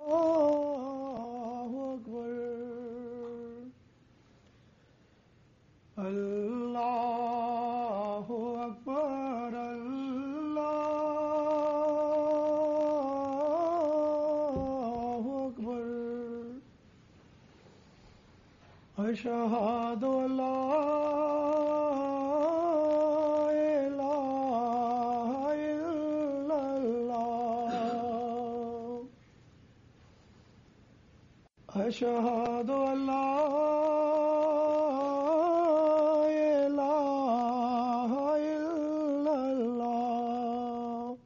الله اڪبر الله اڪبر الله اڪبر اشهد ان لا اله الا الله اشهد ان لا اله الا الله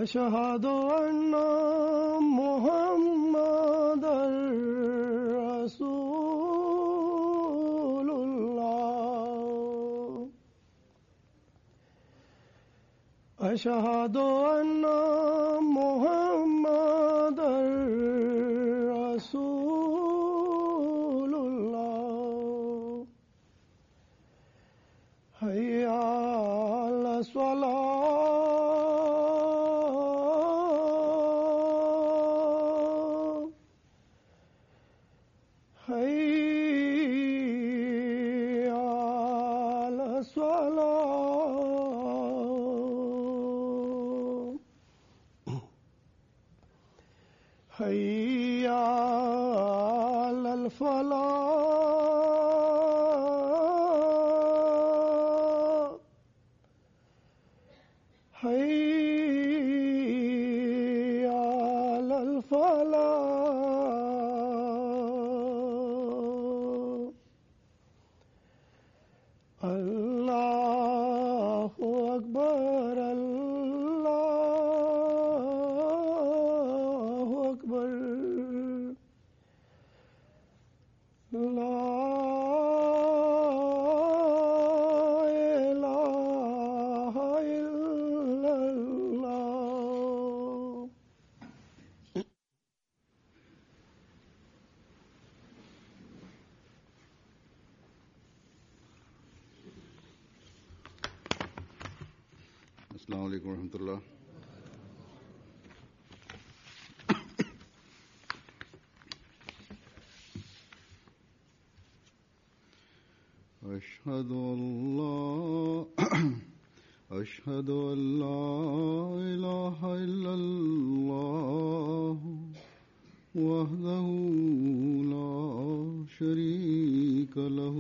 اشهد ان محمدا رسول الله اشهد ان محمدا رسول الله حي على الصلاة حي على الصلاة حي على الفلاح حي على الفلاح الله اڪبر الله اڪبر لا اله الا الله. السلام عليڪم ورحمة الله. اشهد ان لا اشهد ان لا اله الا الله وحده لا شريك له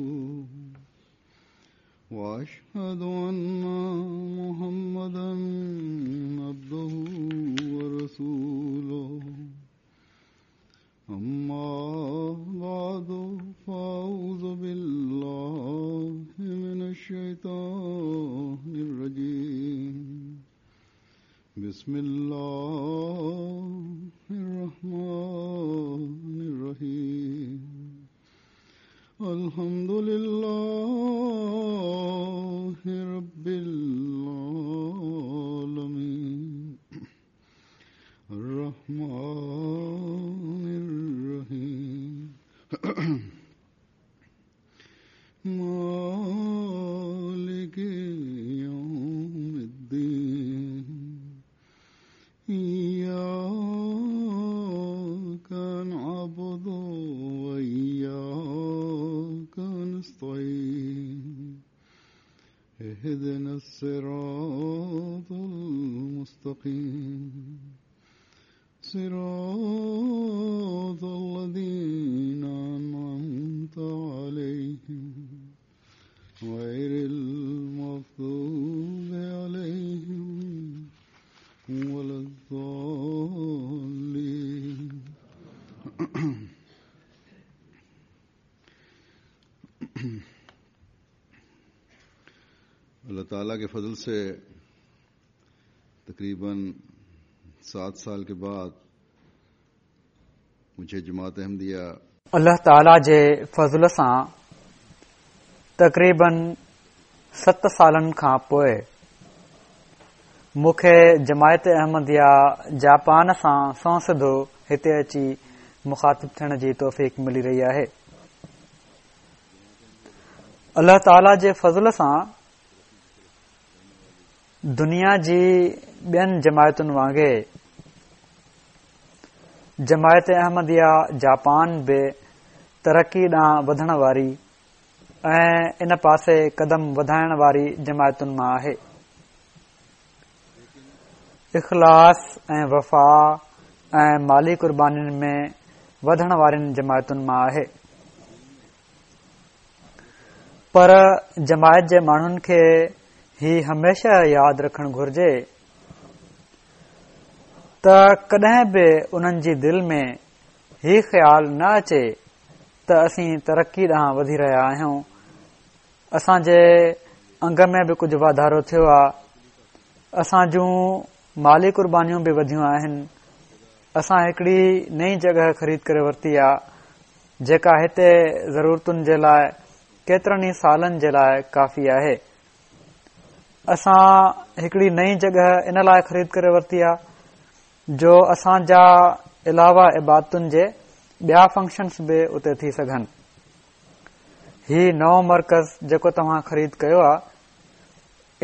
واشهد ان محمدا عبده ورسوله اما بعد فاعوذ بالله من الشيطان الرجيم بسم الله الرحمن الرحيم الحمد لله رب العالمين الرحمن الرحيم مالك يوم الدين إياك نعبد وإياك نستعين اهدنا الصراط المستقيم صراط الذين أنعمت عليهم غير المغضوب عليهم ولا الضالين. الله تعالیٰ کے فضل سے تقریباً 7 سال کے بعد مجھے جماعت احمدیہ الله تعاليٰ جي فضل سان تقريباً 7 سالن کان پوء مون کي جماعت احمديه جاپان سان سنئون سڌو هتي اچي مخاطب ٿيڻ جي توفيق ملي رهي آهي. الله تعاليٰ جي فضل سان دنيا جي ٻين جماعتن وانگي جماعت احمديه جاپان به ترقي ڏانهن وڌڻ واري ۽ ان پاسي قدم وڌائڻ واري جماعتن مان آهي. اخلاص ۽ وفا ۽ مالي قربانين ۾ وڌڻ وارين جماعتن مان آهي. پر جماعت جي ماڻهن کي هي هميشه ياد رکڻ گهرجي ته ڪڏهن به انهن جي دل ۾ هي خيال نه اچي ته اسين ترقي ڏانهن وڌي رهيا آهيون، اسان جي انگ ۾ به ڪجهه واڌارو ٿيو آهي، اسان جون مالي قربانيون به وڌيون آهن، اسان هڪڙي نئين جڳهه خريد ڪري ورتي آهي، جيڪا هتي ضرورتن جي لاء ڪيترن ئي سالن جي لاء ڪافي آهي. اسان هڪڙي نئين جڳهه ان لاء خريد ڪري ورتي آهي جو اسان جا علاوه عبادتن جي ٻيا فنڪشنس به اتي ٿي سگهن. هي نئون مرڪز جيڪو توهان خريد ڪيو آهي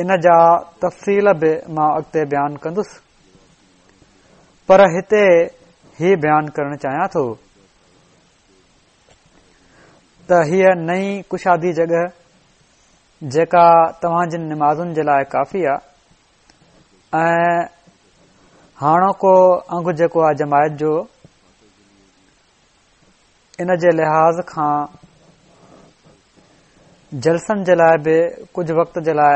ان جا تفصيل به مان اڳتي بيان ڪندس پر هتي هي بيان ڪرڻ چاهيان ٿو ته هيء نئين ڪشادي جڳهه جيڪا توهان جن نمازن جي لاء ڪافي آ ۽ هاڻوڪو انگ جيڪو آ جماعت جو ان جي لحاظ کان جلسن جي لاء به ڪجهه وقت جي لاء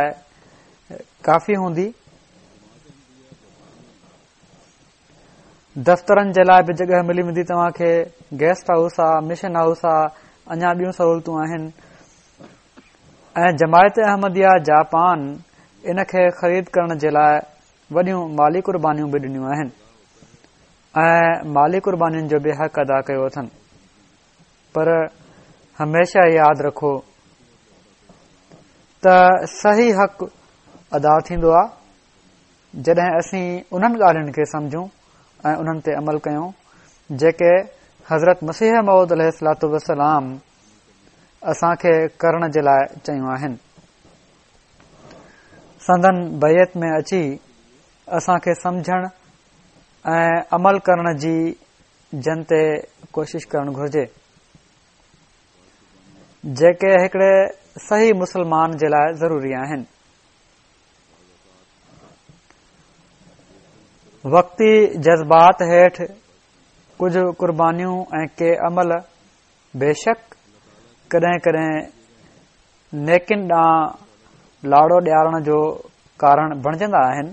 ڪافي هوندي. دفترن جي لاء به جڳهه ملي ويندي توهان کي، گيسٽ هائوس آ، مشن هائوس آ، اڃا ٻيون سهولتون آهن ۽ جماعت احمديه جاپان ان کي خريد ڪرڻ جي لاء وڏيون مالي قربانيون به ڏنيون آهن ۽ مالي قربانين جو به حق ادا ڪيو اٿن پر هميشه ياد رکو ته صحيح حق ادا ٿيندو آ جڏهن اسين انهن ڳالهين کي سمجهون ۽ انهن تي عمل ڪيون جيڪي حضرت مسيح موعود عليه الصلوة والسلام اسان کي ڪرڻ جي لاء چيون آهن. سندن بيعت ۾ اچي اسان کي سمجهڻ ۽ عمل ڪرڻ جي جن تي ڪوشش ڪرڻ گهرجي جيڪي هڪڙي صحيح مسلمان جي لاء ضروري آهن. وقتي جذبات هيٺ ڪجهه قربانيون ۽ ڪي عمل بيشڪ ڪڏهن ڪڏهن نيڪين ڏانهن لاڙو ڏيارڻ جو ڪارڻ بڻجندا آهن.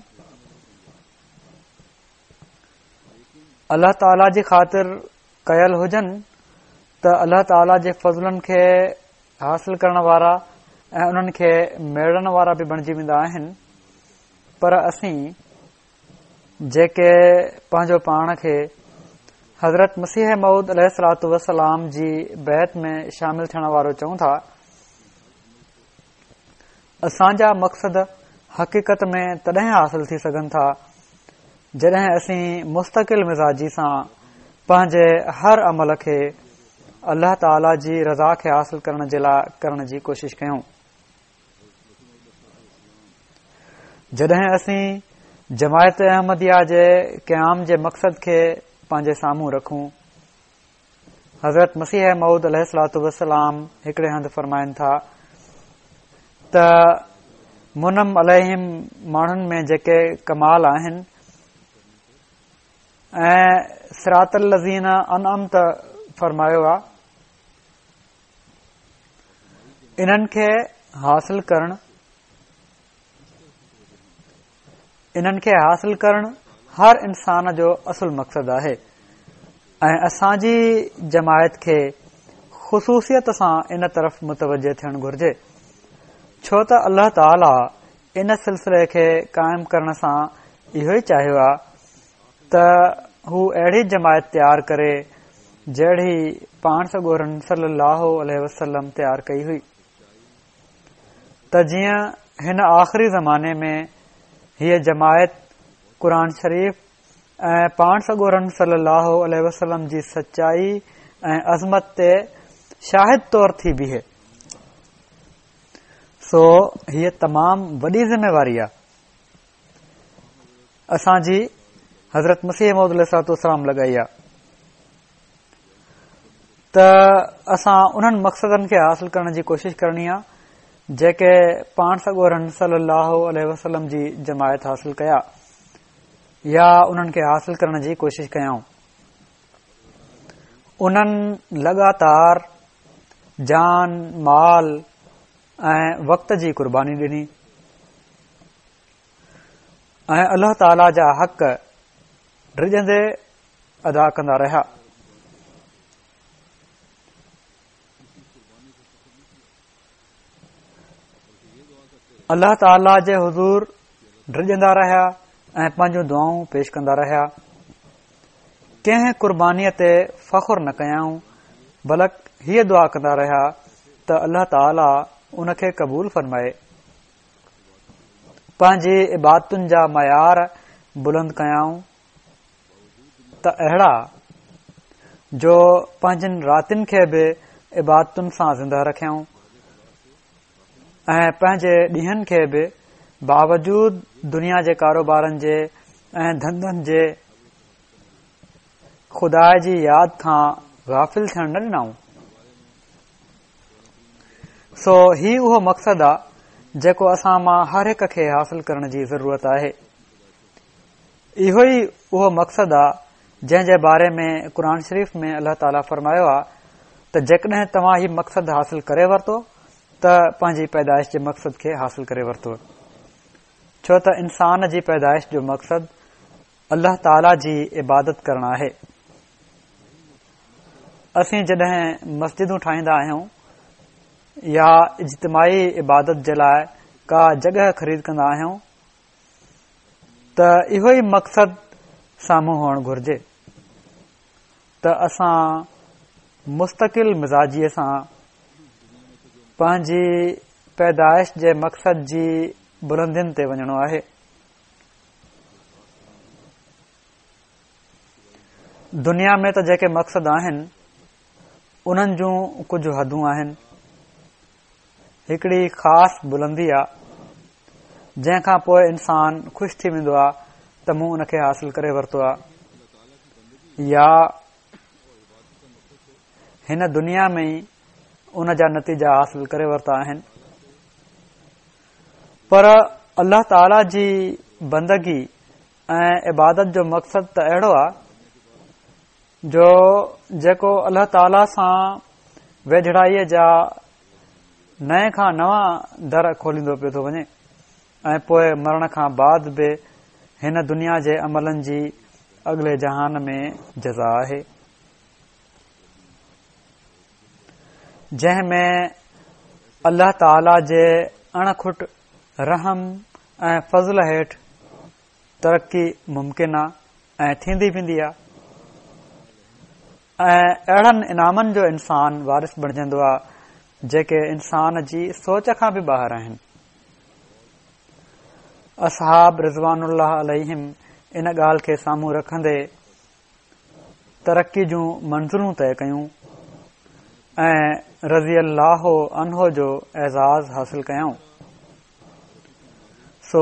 الله تعاليٰ جي خاطر ڪيل هجن ته الله تعاليٰ جي فضلن کي حاصل ڪرڻ وارا ۽ انهن کي ميڙڻ وارا به بڻجي ويندا آهن پر اسين جيڪي پنهنجو پاڻ کي حضرت مسيح موعود عليه الصلوة والسلام جي بيعت ۾ شامل ٿيڻ وارو چئون ٿا اسان جا مقصد حقيقت ۾ تڏهن حاصل ٿي سگهن ٿا جڏهن اسين مستقل مزاجي سان پنهنجي هر عمل کي الله تعالي جي رضا کي حاصل ڪرڻ جي لاء ڪرڻ جي ڪوشش ڪيون. جڏهن اسين جماعت احمديه جي قيام جي مقصد کي پنهنجي سامهون رکون حضرت مسيح موعود عليه الصلوة والسلام هڪڙي هنڌ فرمائن ٿا ته منعم عليهم ماڻهن ۾ جيڪي ڪمال آهن ۽ صراط الذين انعمت فرمايو آ انهن کي حاصل ڪرڻ انهن کي حاصل ڪرڻ هر انسان جو اصل مقصد آهي ۽ اسان جي جماعت کي خصوصيت سان ان طرف متوجه ٿيڻ گهرجي ڇو ته الله تعالي ان سلسلي کي قائم ڪرڻ سان اهو ئي چاهيو آهي ته هو اهڙي جماعت تيار ڪري جهڙي پاڻ سڳورن صلي الله عليه وسلم تيار ڪئي هئي ته جيئن هن آخري زماني ۾ هيء جماعت قرآن شريف ۽ پاڻ سڳورن صلي الله عليه وسلم جي سچائي ۽ عظمت تي شاهد طور ٿي بيهي. سو هيء تمام وڏي ذميواري آ اسان جي حضرت مسيح موعود عليه الصلوة والسلام لڳائي آ. ته اسان انهن مقصدن کي حاصل ڪرڻ جي ڪوشش ڪرڻي آ جيڪي پاڻ سڳورن صلي الله عليه وسلم جي جماعت حاصل ڪيا يا انهن کي حاصل ڪرڻ جي ڪوشش ڪيائون. انهن لڳاتار جان، مال ۽ وقت جي قرباني ڏني ۽ الله تعاليٰ جا حق ڊڄندي ادا ڪندا رهيا. الله تعاليٰ جي حضور ڊڄندا رهيا ۽ پنهنجون دعائون پيش ڪندا رهيا. ڪنهن قربانيء تي فخر نه ڪيائون، بلڪ هيء دعا ڪندا رهيا ته الله تعاليٰ ان کي قبول فرمائي. پنهنجي عبادتن جا معيار بلند ڪيائون ته اهڙا جو پنهنجين راتين کي به عبادتن سان زنده رکيائون ۽ پنهنجي ڏينهن کي به باوجود دنيا جي ڪاروبارن جي ۽ ڌنڌن جي خدا جي ياد کان غافل ٿيڻ نه ڏنائون. سو هي اهو مقصد آ جيڪو اسان مان هر هڪ کي حاصل ڪرڻ جي ضرورت آهي. اهو ئي اهو مقصد آ جنهن جي باري ۾ قرآن شريف ۾ الله تعاليٰ فرمايو آ ته جيڪڏهن توهان هي مقصد حاصل ڪري ورتو ته پنهنجي پيدائش جي مقصد کي حاصل ڪري ورتو. ڇو ته انسان جي پيدائش جو مقصد الله تعاليٰ جي عبادت ڪرڻ آهي. اسين جڏهن مسجدون ٺاهيندا آهيون يا اجتماعي عبادت جي لاء ڪا جڳهه خريد ڪندا آهيون ته اهو ئي مقصد سامهون هئڻ گهرجي ته اسان مستقل مزاجيء سان پنهنجي پيدائش جي مقصد جي بلندين تي وڃڻو آهي. دنيا ۾ ته جيڪي مقصد آهن انهن جون ڪجهه حدون آهن. هڪڙي خاص بلندي آ جنهن کان پوء انسان خوش ٿي ويندو آ ته مون ان کي حاصل ڪري ورتو آ يا هن دنيا ۾ ئي ان جا نتيجا حاصل ڪري ورتا آهن پر الله تعاليٰ جي بندگي ۽ عبادت جو مقصد ته اهڙو آ جو جيڪو الله تعاليٰ سان ويجهڙائيء جا نئين کان نوان در کوليندو پيو ٿو وڃي ۽ پوء مرڻ کان بعد به هن دنيا جي عملن جي اڳلي جهان ۾ جزا آهي جنهن ۾ الله تعاليٰ جي اڻ کٽ رحم ۽ فضل هيٺ ترقي ممڪن آ ۽ ٿيندي ويندي آ ۽ اهڙن انعامن جو انسان وارث بڻجندو آ جيڪي انسان جي سوچ کان به ٻاهر آهن. اصحاب رضوان الله عليهم ان ڳالهه کي سامهون رکندي ترقي جون منزلون طئي ڪيون ۽ رضي الله عنه جو اعزاز حاصل ڪيائون. سو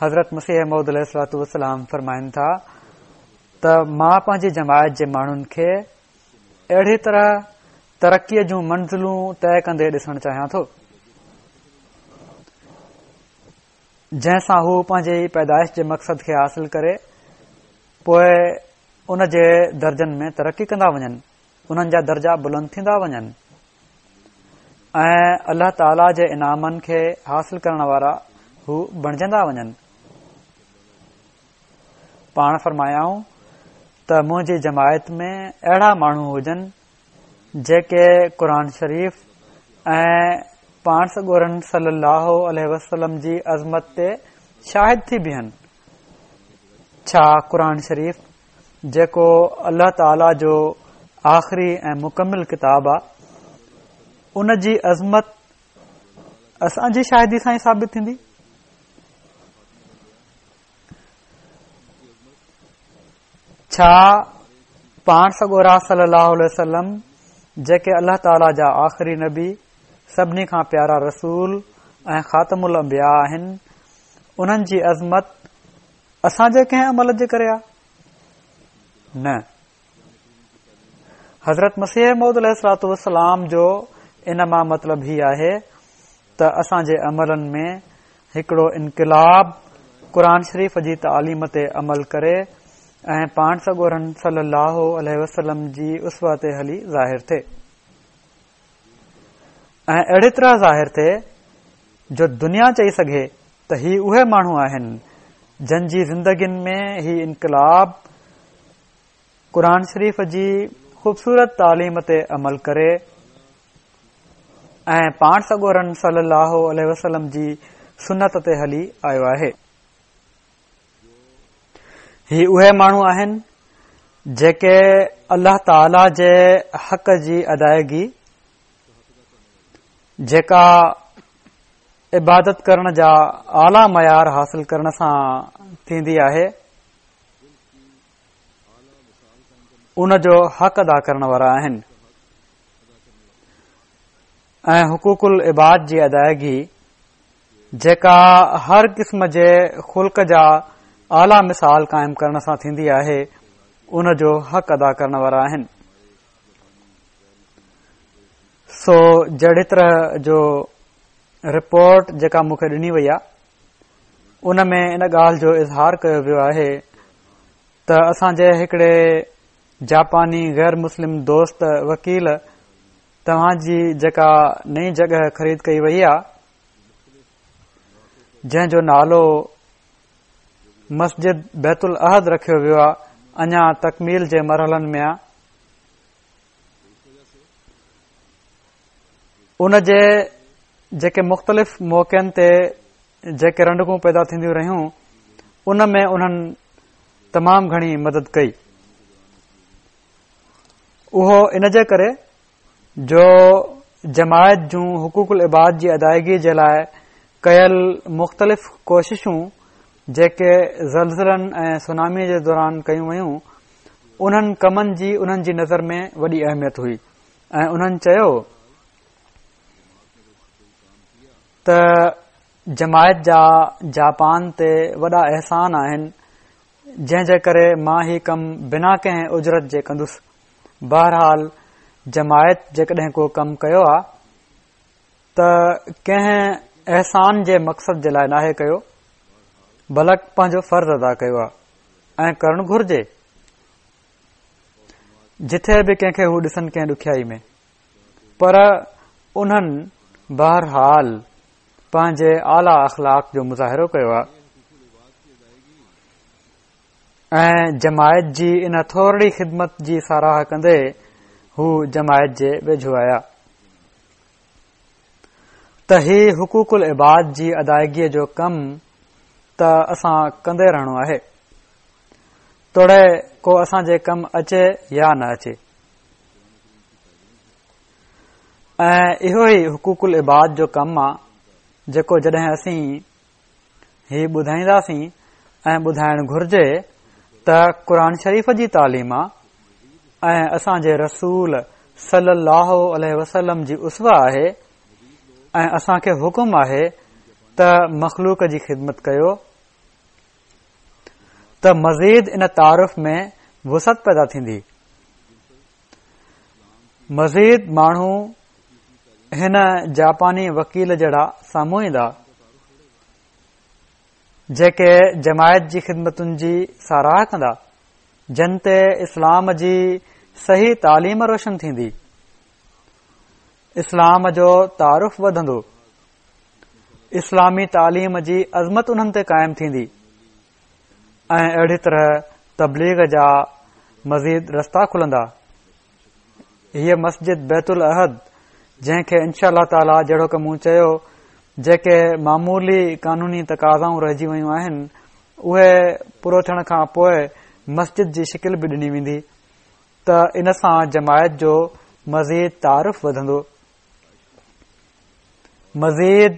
حضرت مسيح موعود عليه الصلوة والسلام فرمائن ٿا ته مان پنهنجي جماعت جي ماڻهن کي اهڙي طرح ترقيء جون منزلون طئي ڪندي ڏسڻ چاهيان ٿو جنهن سان هو پنهنجي پيدائش جي مقصد کي حاصل ڪري پوء ان جي درجن ۾ ترقي ڪندا وڃن انهن جا درجا بلند ٿيندا وڃن ۽ الله تعاليٰ جي انعامن کي حاصل ڪرڻ وارا هو بڻجندا وڃن. پاڻ فرمايائون ته منهنجي جماعت ۾ اهڙا ماڻهو هجن جيڪي قرآن شريف ۽ پاڻ سڳورن صلي الله عليه وسلم جي عظمت تي شاهد ٿي بيهن. ڇا قرآن شريف جيڪو الله تعاليٰ جو آخري ۽ مڪمل ڪتاب آ، ان جي عظمت اسان جي شاهدي سان ئي ثابت ٿيندي. ڇا پاڻ سڳورا صلي الله عليه وسلم جيڪي الله تعاليٰ جا آخري نبي، سڀني کان پيارا رسول ۽ خاتم الانبياء آهن، انهن جي عظمت اسان جي ڪنهن عمل جي ڪري آ؟ نه. حضرت مسيح موعود عليه الصلوة والسلام جو ان مان مطلب هي آهي ته اسان جي عملن ۾ هڪڙو انقلاب قرآن شريف جي تعليم تي عمل ڪري ۽ پاڻ سڳورن صلي الله عليه وسلم جي اسوه تي هلي ظاهر ٿئي ۽ اهڙي طرح ظاهر ٿئي جو دنيا چئي سگهي ته هي اهي ماڻهو آهن جن جي زندگين ۾ هي انقلاب قرآن شريف جي خوبصورت تعليم تي عمل ڪري ۽ پاڻ سڳورن صلي الله عليه وسلم جي سنت تي هلي آيو آهي. هي اهي ماڻهو آهن جيڪي الله تعالي جي حق جي ادائگي جيڪا عبادت ڪرڻ جا اعليٰ معيار حاصل ڪرڻ سان ٿيندي آهي ان جو حق ادا ڪرڻ وارا آهن ۽ حقوق العباد جي ادائگي جيڪا هر قسم جي خلق جا اعليٰ مثال قائم ڪرڻ سان ٿيندي آهي ان جو حق ادا ڪرڻ وارا آهن. سو جهڙي طرح جو رپورٽ جيڪا مون کي ڏني وئي آهي ان ۾ ان ڳالهه جو اظهار ڪيو ويو آهي ته اسان جي هڪڙي جاپاني غير مسلم دوست وڪيل توهان جي جيڪا نئين جڳهه خريد ڪئي وئي آ جنهن جو نالو مسجد بيت الاحد رکيو ويو آ اڃا تڪميل جي مرحلن ۾ آ ان جي جيڪي مختلف موقعن تي جيڪي رنڊڪون پيدا ٿينديون رهيون ان ۾ انهن تمام گهڻي مدد ڪئي. اهو ان جي ڪري جو جماعت جون حقوق العباد جي ادائگي جي لاء ڪيل مختلف ڪوششون جيڪي زلزلن ۽ سونامي جي دوران ڪيون ويون انهن ڪمن جي انهن جي نظر ۾ وڏي اهميت هئي ۽ انهن چيو ته جماعت جا جاپان تي وڏا احسان آهن جنهن جي ڪري مان هي ڪم بنا ڪنهن اجرت جي ڪندس. بهرحال جماعت جيڪڏهن ڪو ڪم ڪيو آ ته ڪنهن احسان جي مقصد جي لاء ناهي ڪيو بلڪ پنهنجو فرض ادا ڪيو آ ۽ ڪرڻ گهرجي جٿي به ڪنهن کي هو ڏسن ڪنهن ڏکيائي ۾. پر انهن بهرحال پنهنجي اعليٰ اخلاق جو مظاهرو ڪيو آهي ۽ جماعت جي ان ٿورڙي خدمت جي ساراهه ڪندي هو جماعت جي ويجهو آيا ته هي حقوق العباد جي ادائگيء جو ڪم ته اسان ڪندي رهڻو آهي توڙي ڪو اسان جي ڪم اچي يا نه اچي. ۽ اهو ئي حقوق العباد جو ڪم آ جيڪو جڏهن اسين هي ٻڌائينداسين ۽ ٻڌائڻ گهرجي ته قرآن شريف جي تعليم آ ۽ اسان جي رسول صلي الله عليه وسلم جي اسوه آهي ۽ اسان کي حڪم آهي ته مخلوق جي خدمت ڪيو ته مزيد ان تعارف ۾ وسعت پيدا ٿيندي. مزيد ماڻهو هن جاپاني وڪيل جهڙا سامهون ايندا جيڪي جماعت جي خدمتن جي ساراهه ڪندا جن تي اسلام جي صحيح تعليم روشن ٿيندي اسلام جو تعارف وڌندو اسلامي تعليم جي عظمت انهن تي قائم ٿيندي ۽ اهڙي طرح تبليغ جا مزيد رستا کلندا. هيء مسجد بيت الاحد جنهن کي انشاء الله تعاليٰ جهڙوڪ مون چيو جيڪي معمولي قانوني تقاضائون رهجي ويون آهن اهي پورو ٿيڻ کان پوء مسجد جي شڪل به ڏني ويندي ته ان سان جماعت جو مزيد تعارف وڌندو. مزيد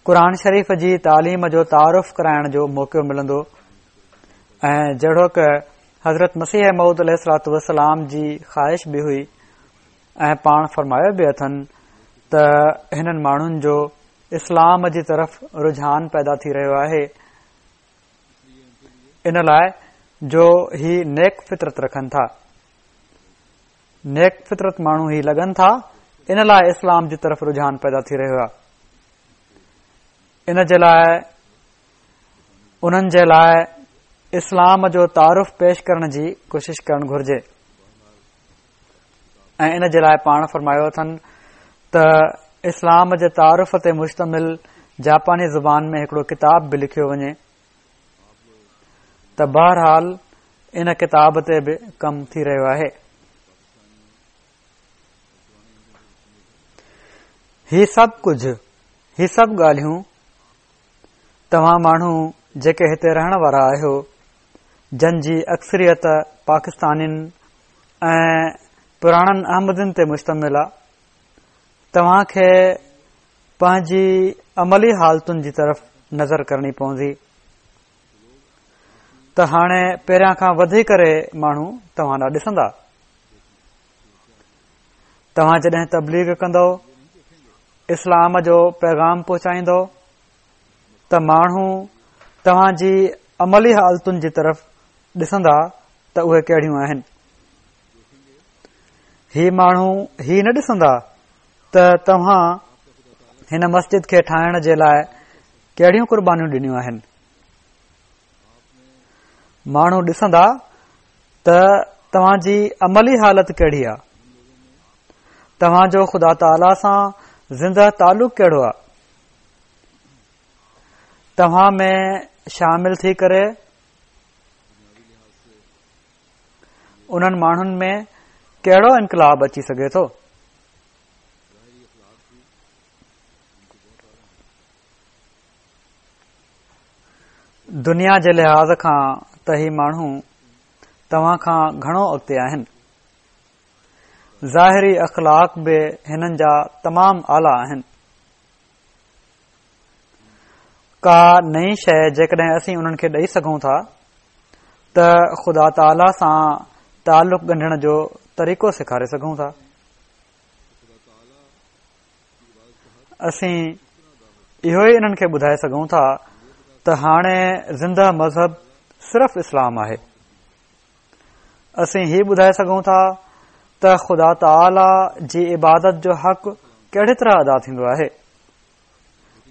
قرآن شريف جي تعليم جو تعارف ڪرائڻ جو موقعو ملندو ۽ جهڙوڪ حضرت مسيح موعود عليه الصلوٰة والسلام جي خواهش به هئي ۽ پاڻ فرمايو به اٿن ته هنن ماڻهن جو اسلام جي طرف رجحان پيدا ٿي رهيو آهي ان لاء جو هي نيڪ فطرت رکن ٿا. نيڪ فطرت ماڻهو هي لڳن ٿا، ان لاء اسلام جي طرف رجحان پيدا ٿي رهيو آهي. ان جي لاء انهن جي لاء اسلام جو تعارف پيش ڪرڻ جي ڪوشش ڪرڻ گهرجي ۽ ان جي لاء پاڻ فرمايو اٿن ته اسلام جي تعارف تي مشتمل جاپاني زبان ۾ هڪڙو ڪتاب به لکيو وڃي ته بهرحال ان ڪتاب تي به ڪم ٿي رهيو آهي. هي سڀ ڪجهه، هي سڀ ڳالهيون توهان ماڻهو جيڪي هتي رهڻ وارا آهيو، جن جي اڪثريت پاڪستانين ۽ پراڻن احمدين تي مشتمل آ، توهان کي پنهنجي عملي حالتن جي طرف نظر ڪرڻي پوندي ته هاڻي پهريان کان وڌي ڪري ماڻهو توهان ڏانهن ڏسندا. توهان جڏهن تبليغ ڪندؤ، اسلام جو پيغام پهچائيندؤ ته ماڻهو توهان جي عملي حالتن جي طرف ڏسندا ته اهي ڪهڙيون آهن. هي ماڻهو هي نه ڏسندا ته توهان هن مسجد کي ٺاهڻ جي لاء ڪهڙيون قربانيون ڏنيون آهن. ماڻهو ڏسندا ته توهان جي عملي حالت ڪهڙي آهي، توهان جو خدا تعاليٰ سان زنده تعلق ڪهڙو آهي، توهان ۾ شامل ٿي ڪري انهن ماڻهن ۾ ڪهڙو انقلاب اچي سگهي ٿو. دنيا جي لحاظ کان ته هي ماڻهو توهان کان گهڻو اڳتي آهن. ظاهري اخلاق به هنن جا تمام اعليٰ آهن. ڪا نئين شيء جيڪڏهن اسين انهن کي ڏئي سگهون ٿا ته خدا تعاليٰ سان تعلق ڳنڍڻ جو طريقو سيکاري سگهون ٿا. اسين اهو ئي انهن کي ٻڌائي سگهون ٿا ته هاڻي زنده مذهب صرف اسلام آهي. اسين هي ٻڌائي سگهون ٿا ته خدا تعاليٰ جي عبادت جو حق ڪهڙي طرح ادا ٿيندو آهي.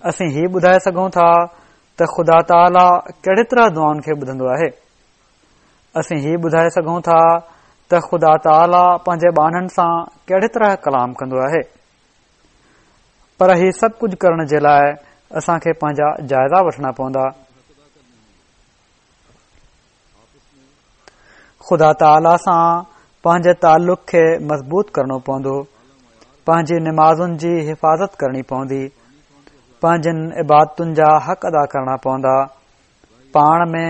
اسين هي ٻڌائي سگهون ٿا ته خدا تعاليٰ ڪهڙي طرح دعائن کي ٻڌندو آهي. اسين هي ٻڌائي سگهون ٿا ته خدا تعاليٰ پنهنجي ٻانهن سان ڪهڙي طرح ڪلام ڪندو آهي. پر هي سڀ ڪجهه ڪرڻ جي لاء اسان کي پنهنجا جائزا وٺڻا پوندا. خدا تعاليٰ سان پنهنجي تعلق کي مضبوط ڪرڻو پوندو، پنهنجي نمازن جي حفاظت ڪرڻي پوندي، پنهنجن عبادتن جا حق ادا ڪرڻا پوندا، پاڻ ۾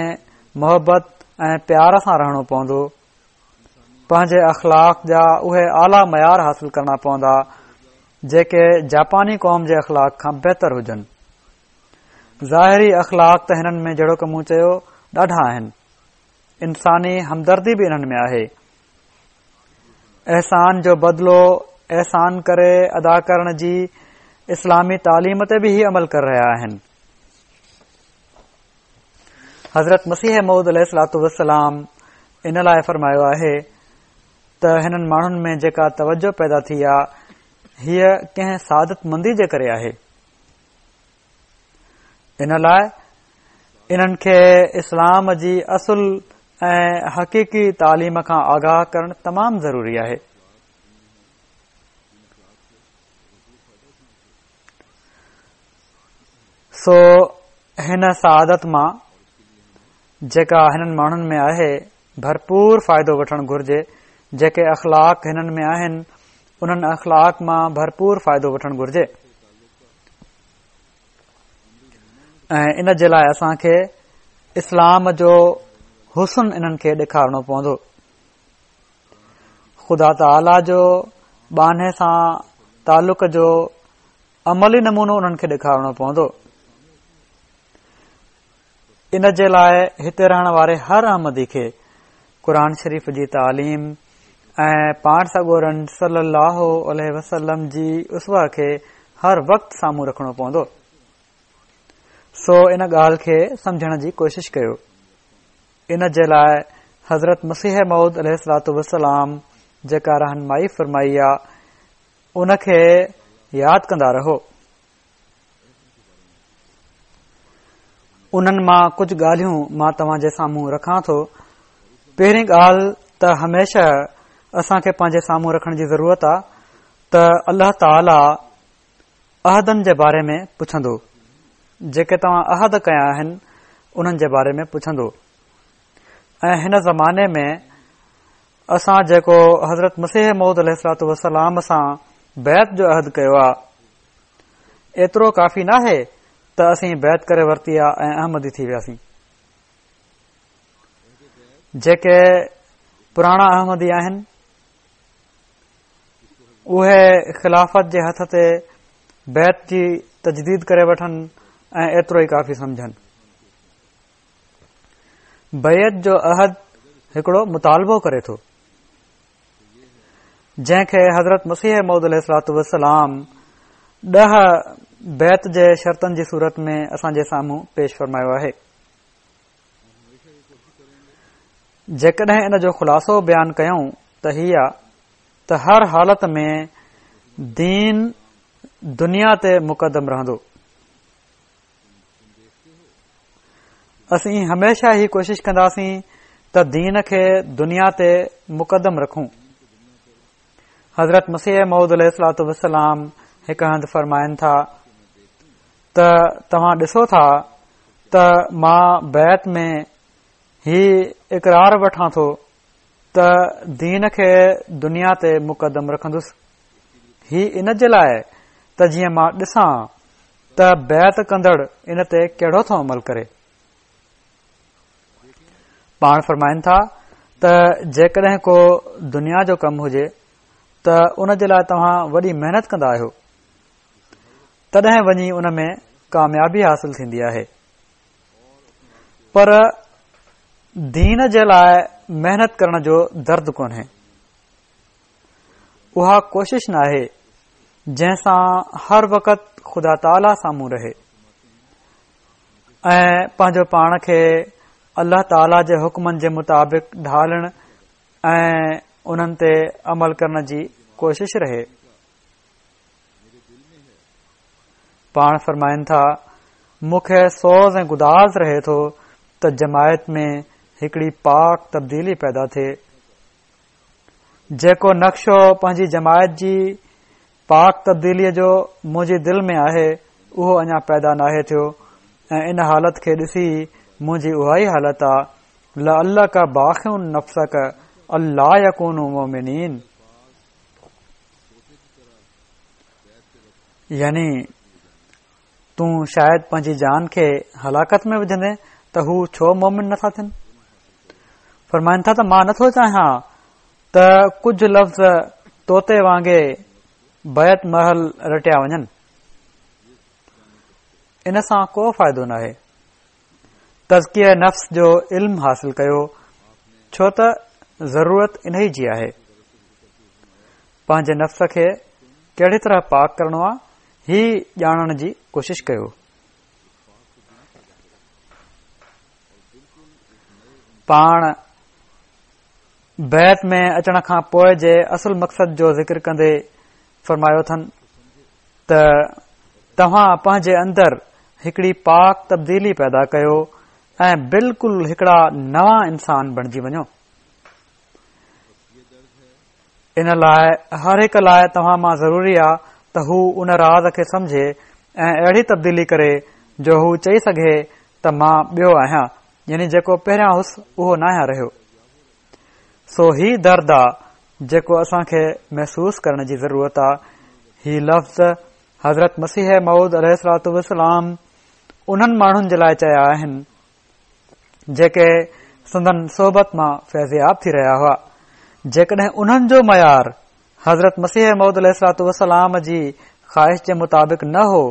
محبت ۽ پيار سان رهڻو پوندو، پنهنجي اخلاق جا اهي اعليٰ معيار حاصل ڪرڻا پوندا، جيڪي جاپاني قوم جي اخلاق کان بهتر هجن. ظاهري اخلاق ته هنن ۾ جهڙوڪ مون چيو ڏاڍا آهن. انساني همدردي به انهن ۾ آهي. احسان جو بدلو احسان ڪري ادا ڪرڻ جي اسلامي تعليم تي به هي عمل ڪري رهيا آهن. حضرت مسيح موعود عليه الصلوة والسلام ان لاء فرمايو آهي ته هنن ماڻهن ۾ جيڪا توجه پيدا ٿي آ هيء ڪنهن سعادت مندي جي ڪري آهي. ان لاء انهن کي اسلام جي اصل ۽ حقيقي تعليم کان آگاهه ڪرڻ تمام ضروري آهي. سو هن سعادت مان جيڪا هنن ماڻهن ۾ آهي ڀرپور فائدو وٺڻ گهرجي، جيڪي اخلاق هنن ۾ آهن، انهن اخلاق مان ڀرپور فائدو وٺڻ گهرجي ۽ ان جي لاء اسان کي اسلام جو حسن انهن کي ڏيکارڻو پوندو. خدا تعاليٰ جو ٻانهي سان تعلق جو عملي نمونو انهن کي ڏيکارڻو پوندو. ان جي لاء هتي رهڻ واري هر احمدي کي قرآن شريف جي تعليم ۽ پاڻ سڳورن صلي الله عليه وسلم جي اسوه کي هر وقت سامهون رکڻو پوندو. سو ان ڳالهه کي سمجهڻ جي ڪوشش ڪيو. ان جي لاء حضرت مسيح موعود عليه الصلوة والسلام جيڪا رهنمائي فرمائي آ، ان کي ياد ڪندا رهو. انهن مان ڪجهه ڳالهيون مان توهان جي سامهون رکان ٿو. پهرين ڳالهه ته هميشه اسان کي پنهنجي سامهون رکڻ جي ضرورت آ ته الله تعاليٰ عهدن جي باري ۾ پڇندو. جيڪي توهان عهد ڪيا آهن انهن جي باري ۾ پڇندو ۽ هن زماني ۾ اسان جيڪو حضرت مسيح موعود عليه الصلوة والسلام سان بيعت جو عهد ڪيو آ ايترو ڪافي ناهي ته اسين بيعت ڪري ورتي آ ۽ احمدي ٿي وياسين. جيڪي پراڻا احمدي آهن اهي خلافت جي هٿ تي بيعت جي تجديد ڪري وٺن ۽ ايترو ئي ڪافي سمجهن. بيعت جو عهد هڪڙو مطالبو ڪري ٿو جنهن کي حضرت مسيح موعود عليه الصلوة والسلام 10 بيعت جي شرطن جي صورت ۾ اسان جي سامهون پيش فرمايو آهي. جيڪڏهن ان جو خلاصو بيان ڪيون ته هي آ ته هر حالت ۾ دين دنيا تي مقدم رهندو. اسين هميشه هي ڪوشش ڪنداسين ته دين کي دنيا تي مقدم رکون. حضرت مسيح موعود عليه الصلوة والسلام هڪ هنڌ فرمائن ٿا ته توهان ڏسو ٿا ته مان بيعت ۾ هي اقرار وٺان ٿو ته دين کي دنيا تي مقدم رکندس. هي ان جي لاء ته جيئن مان ڏسان ته بيعت ڪندڙ ان تي ڪهڙو ٿو عمل ڪري. پاڻ فرمائن ٿا ته جيڪڏهن ڪو دنيا جو ڪم هجي ته ان جي لاء توهان وڏي محنت ڪندا آهيو تڏهن وڃي ان ۾ ڪاميابي حاصل ٿيندي آهي پر دين جي لاء محنت ڪرڻ جو درد ڪونهي. اها ڪوشش ناهي جنهن سان هر وقت خدا تعاليٰ سامهون رهي ۽ پنهنجو پاڻ کي الله تعاليٰ جي حڪمن جي مطابق ڍالڻ ۽ انهن تي عمل ڪرڻ جي ڪوشش رهي. پاڻ فرمائن ٿا، مون کي سوز ۽ گداز رهي ٿو ته جماعت ۾ هڪڙي پاڪ تبديلي پيدا ٿئي. جيڪو نقشو پنهنجي جماعت جي پاڪ تبديليء جو منهنجي دل ۾ آهي، اهو اڃا پيدا ناهي ٿيو ۽ ان حالت کي ڏسي منهنجي اها ئي حالت آ، لعلک باخع نفسک الا يڪونوا مؤمنين. يعني تون شايد پنهنجي جان کي هلاڪت ۾ وجهندين ته هو ڇو مومن نٿا ٿين؟ فرمائن ٿا ته مان نٿو چاهيان ته ڪجهه لفظ طوطي وانگي بيعت مهل رٽيا وڃن. ان سان ڪو فائدو ناهي. تزڪيه نفس جو علم حاصل ڪيو ڇو ته ضرورت انهي جي آهي. پنهنجي نفس کي ڪهڙي طرح پاڪ ڪرڻو آهي هي ڄاڻڻ جي ڪوشش ڪيو. پاڻ بيعت ۾ اچڻ کان پوء جي اصل مقصد جو ذڪر ڪندي فرمايو اٿن ته توهان پنهنجي اندر هڪڙي پاڪ تبديلي پيدا ڪيو ۽ بلڪل هڪڙا نوان انسان بڻجي وڃو. ان لاء هر هڪ لاء توهان مان ضروري آ ته هو ان راز کي سمجهي ۽ اهڙي تبديلي ڪري جو هو چئي سگهي ته مان ٻيو آهيان يعني جيڪو پهريان هوس اهو ناهيان رهيو. سو هي درد آ جيڪو اسان کي محسوس ڪرڻ جي ضرورت آ. هي لفظ حضرت مسيح موعود عليه الصلوة والسلام انهن ماڻهن جي لاء چيا آهن جيڪي سندن صحبت مان فيضياب ٿي رهيا هئا. جيڪڏهن انهن جو معيار حضرت مسيح موعود عليه الصلوة والسلام جي خواهش جي مطابق نه هو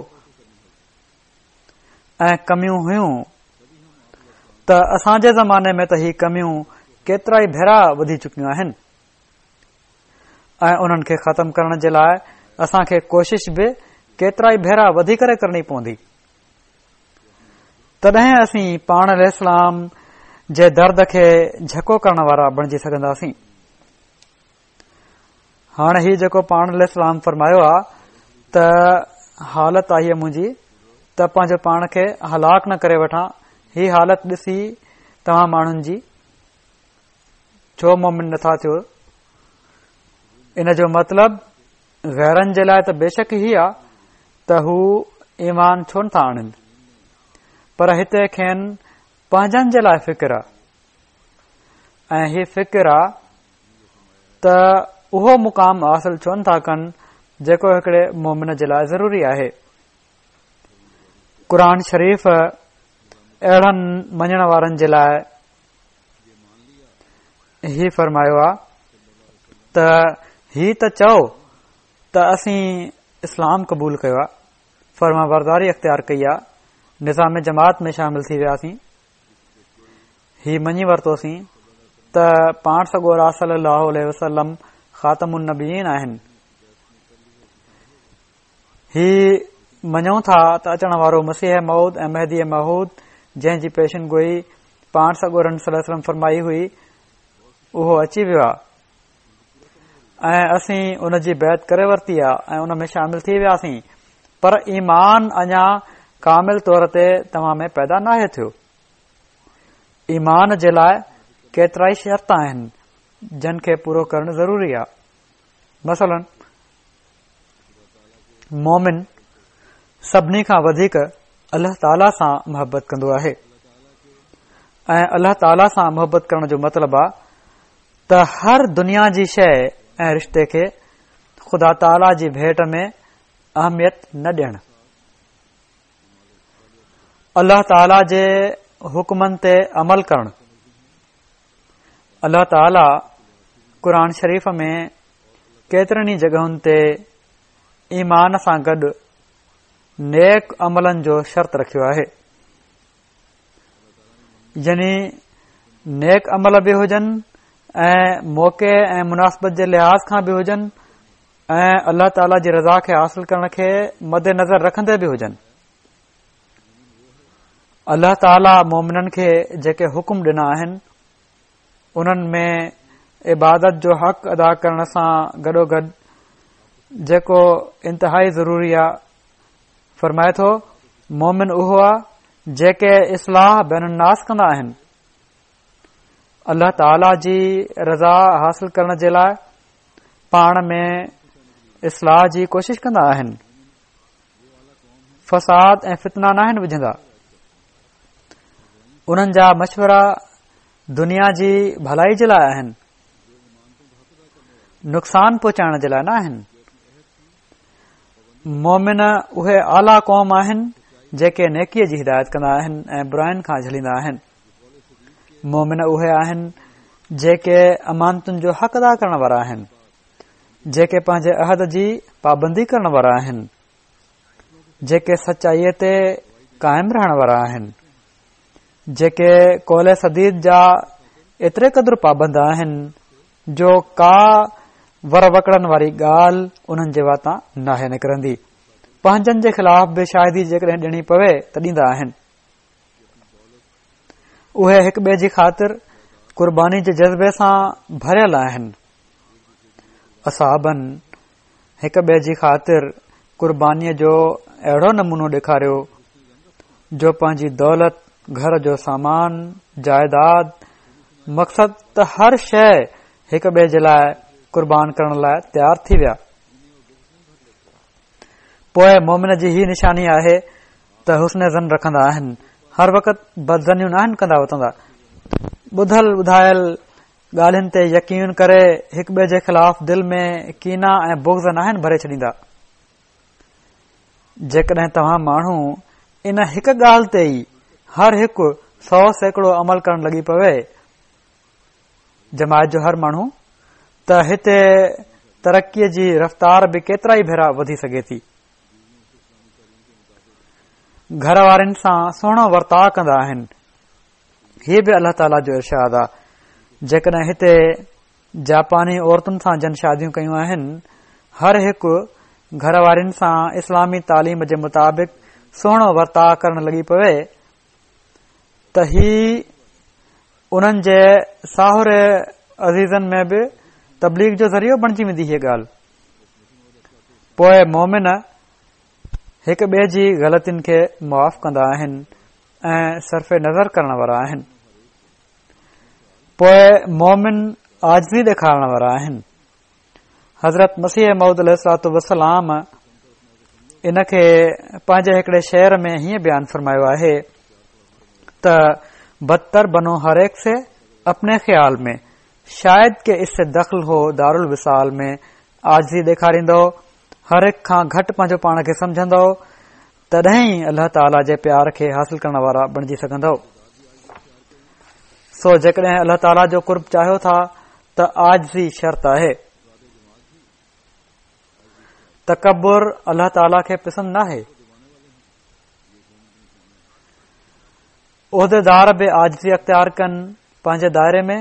۽ ڪميون هيون ته اسان جي زماني ۾ ته هي ڪميون ڪيترائي ڀيرا وڌي چڪيون آهن ۽ انهن کي ختم ڪرڻ جي لاء اسان کي ڪوشش به ڪيترائي ڀيرا وڌي ڪري ڪرڻي پوندي. تڏهن اسين پاڻ عليه السلام جي درد کي جهڪو ڪرڻ وارا بڻجي سگهنداسين. هاڻ هي جيڪو پاڻ عليه السلام فرمايو آ ته حالت آهي منهنجي ته پنهنجو پاڻ کي هلاڪ نه ڪري وٺان، هي حالت ڏسي توهان ماڻهن جي ڇو مومن نٿا ٿيو؟ ان جو مطلب غيرن جي لاء ته بيشڪ هي آ ته هو ايمان ڇو نٿا آڻن، پر هتي کين پنهنجن جي لاء فڪر آ ۽ هي فڪر آ ته اهو مقام حاصل ڇو نٿا ڪن جيڪو هڪڙي مومن جي لاء ضروري آهي. قرآن شريف اهڙن مڃڻ وارن جي لاء هي فرمايو آ ته هي ته چئو ته اسين اسلام قبول ڪيو آ، فرمانبرداري اختيار ڪئي آ، نظام جماعت ۾ شامل ٿي وياسين. هي مڃي ورتوسين ته پاڻ سڳورا صلي الله عليه وسلم خاتم النبيين آهن. هي مڃون ٿا ته اچڻ وارو مسيح موعود ۽ مهدي موعود جنهن جي پيشن گوئي پاڻ سڳورن صلي الله عليه وسلم فرمائي هئي اهو اچي ويو آهي ۽ اسين ان جي بيعت ڪري ورتي آهي ۽ ان ۾ شامل ٿي وياسين پر ايمان اڃا ڪامل طور تي توهان ۾ پيدا ناهي ٿيو. ايمان جي لاء ڪيترائي شرط آهن جن کي پورو ڪرڻ ضروري آهي. مثلاً مومن سڀني کان وڌيڪ الله تعاليٰ سان محبت ڪندو آهي ۽ الله تعاليٰ سان محبت ڪرڻ جو مطلب آهي ته هر دنيا جي شيء ۽ رشتي کي خدا تعاليٰ جي ڀيٽ ۾ اهميت نه ڏيڻ. الله تعاليٰ جي حڪمن تي عمل ڪرڻ. الله تعاليٰ قرآن شريف ۾ ڪيترن ئي جڳهن تي ايمان سان گڏ نيڪ عملن جو شرط رکيو آهي. يعني نيڪ عمل به هجن ۽ موقعي ۽ مناسبت جي لحاظ کان به هجن ۽ الله تعاليٰ جي رضا کي حاصل ڪرڻ کي مد نظر رکندي به هجن. الله تعاليٰ مومنن کي جيڪي حڪم ڏنا آهن انهن ۾ عبادت جو حق ادا ڪرڻ سان گڏوگڏ جيڪو انتهائي ضروري آ فرمائي ٿو مومن اهو آ جيڪي اصلاح بين الناس ڪندا آهن. الله تعاليٰ جي رضا حاصل ڪرڻ جي لاء پاڻ ۾ اصلاح جي ڪوشش ڪندا آهن. فساد ۽ فتنا ناهن وجهندا. انهن جا مشورا دنيا جي ڀلائي جي لاء آهن، نقصان پهچائڻ جي لاء نه آهن. مومن اهي اعليٰ قوم آهن جيڪي نيڪيء جي هدايت ڪندا آهن ۽ براين کان جهليندا آهن. مومن اهي آهن جيڪي امانتن جو حق ادا ڪرڻ وارا آهن، جيڪي پنهنجي عهد جي پابندي ڪرڻ وارا آهن، جيڪي سچائيء تي قائم رهڻ وارا آهن، جيڪي قول سديد جا ايتري قدر پابند آهن جو ڪا ور وڪڙن واري ڳالهه انهن جي واتان ناهي نڪرندي. پنهنجن جي خلاف به شاهدي جيڪڏهن ڏيڻي پوي ته ڏيندا آهن. اهي هڪ ٻئي جي خاطر قرباني جي جذبي سان ڀريل آهن. اصحابن هڪ ٻئي جي خاطر قربانيء جو اهڙو نمونو ڏيکاريو جو پنهنجي دولت، گهر جو سامان، جائيداد، مقصد ته هر شيء هڪ ٻئي جي لاء قربان ڪرڻ لاء تيار ٿي ويا. پوء مومن جي هي نشاني آهي ته حسن ظن رکندا آهن، هر وقت بدظنيون ناهن ڪندا وتندا. ٻڌل ٻڌايل ڳالهين تي يقين ڪري هڪ ٻئي جي خلاف دل ۾ ڪينا ۽ بغض ناهن ڀري ڇڏيندا. جيڪڏهن توهان ماڻهو ان هڪ ڳالهه تي ئي هر هڪ 100% عمل ڪرڻ لڳي پوي، جماعت جو هر ماڻهو، ته هتي ترقيء جي رفتار به ڪيترائي ڀيرا وڌي سگهي ٿي. گهر وارين سان سهڻو ورتاء ڪندا آهن. هي به الله تعاليٰ جو ارشاد آ. جيڪڏهن هتي جاپاني عورتن سان جن شاديون ڪيون آهن، هر هڪ گهر وارين سان اسلامي تعليم جي مطابق سهڻو ورتاء ڪرڻ لڳي پوي ته هي انهن جي ساهري عزيزن ۾ به تبليغ جو ذريعو بڻجي ويندي هيء ڳالهه. پوء مؤمن هڪ ٻئي جي غلطين کي معاف ڪندا آهن ۽ صرف نظر ڪرڻ وارا آهن. پوء مؤمن عاجزي ڏيکارڻ وارا آهن. حضرت مسيح موعود عليه الصلوة والسلام ان کي پنهنجي هڪڙي شعر ۾ هيئن بيان فرمايو آهي ته بدتر بنو هر ايڪ سي اپني خيال ۾ شايد ڪه اس سي دخل هو دارالوصال ۾ عاجزي ڏيکاريندؤ هر هڪ کان گهٽ پنهنجو پاڻ کي سمجهندؤ تڏهن ئي الله تعاليٰ جي پيار کي حاصل ڪرڻ وارا بڻجي سگهندؤ. سو جيڪڏهن الله تعاليٰ جو قرب چاهيو ٿا ته عاجزي شرط آهي. تڪبر الله تعاليٰ کي پسند ناهي. عهديدار به عاجزي اختيار ڪن پنهنجي دائري ۾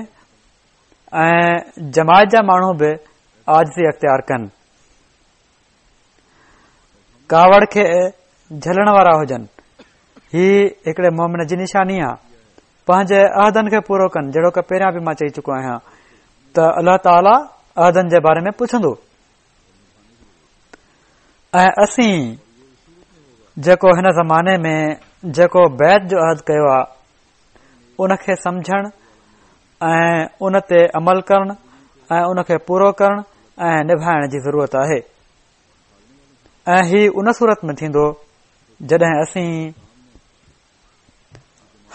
۽ جماعت جا ماڻهو به عاجزي اختيار ڪن. ڪاوڙ کي جهلڻ وارا هجن هي هڪڙي مومن جي نشاني آ پنهنجي عهدن کي پورو ڪن جهڙوڪ پهريان به مان چئي چڪو آهيان ته الله تعالي عهدن جي باري ۾ پڇندو ۽ اسين جيڪو هن زماني ۾ جيڪو بيعت جو عهد ڪيو آ ان کي سمجهڻ ۽ ان تي عمل ڪرڻ ۽ ان کي پورو ڪرڻ ۽ نڀائڻ جي ضرورت آهي ۽ هي ان صورت ۾ ٿيندو جڏهن اسين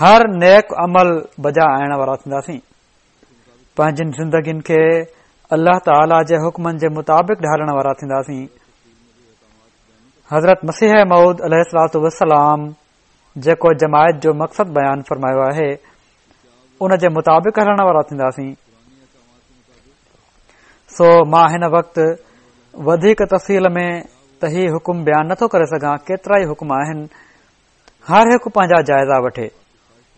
هر نيڪ عمل بجا آڻڻ وارا ٿينداسين پنهنجين زندگين کي الله تعالي جي حڪمن جي مطابق ڍالڻ وارا ٿينداسين حضرت مسيح موعود عليه الصلوة والسلام جيڪو جماعت جو مقصد بيان فرمايو آهي ان جي مطابق هلڻ وارا ٿينداسين سو مان هن وقت وڌيڪ تفصيل ۾ ته هي حڪم بيان نٿو ڪري سگهان ڪيترا ئي حڪم آهن هر هڪ پنهنجا جائزا وٺي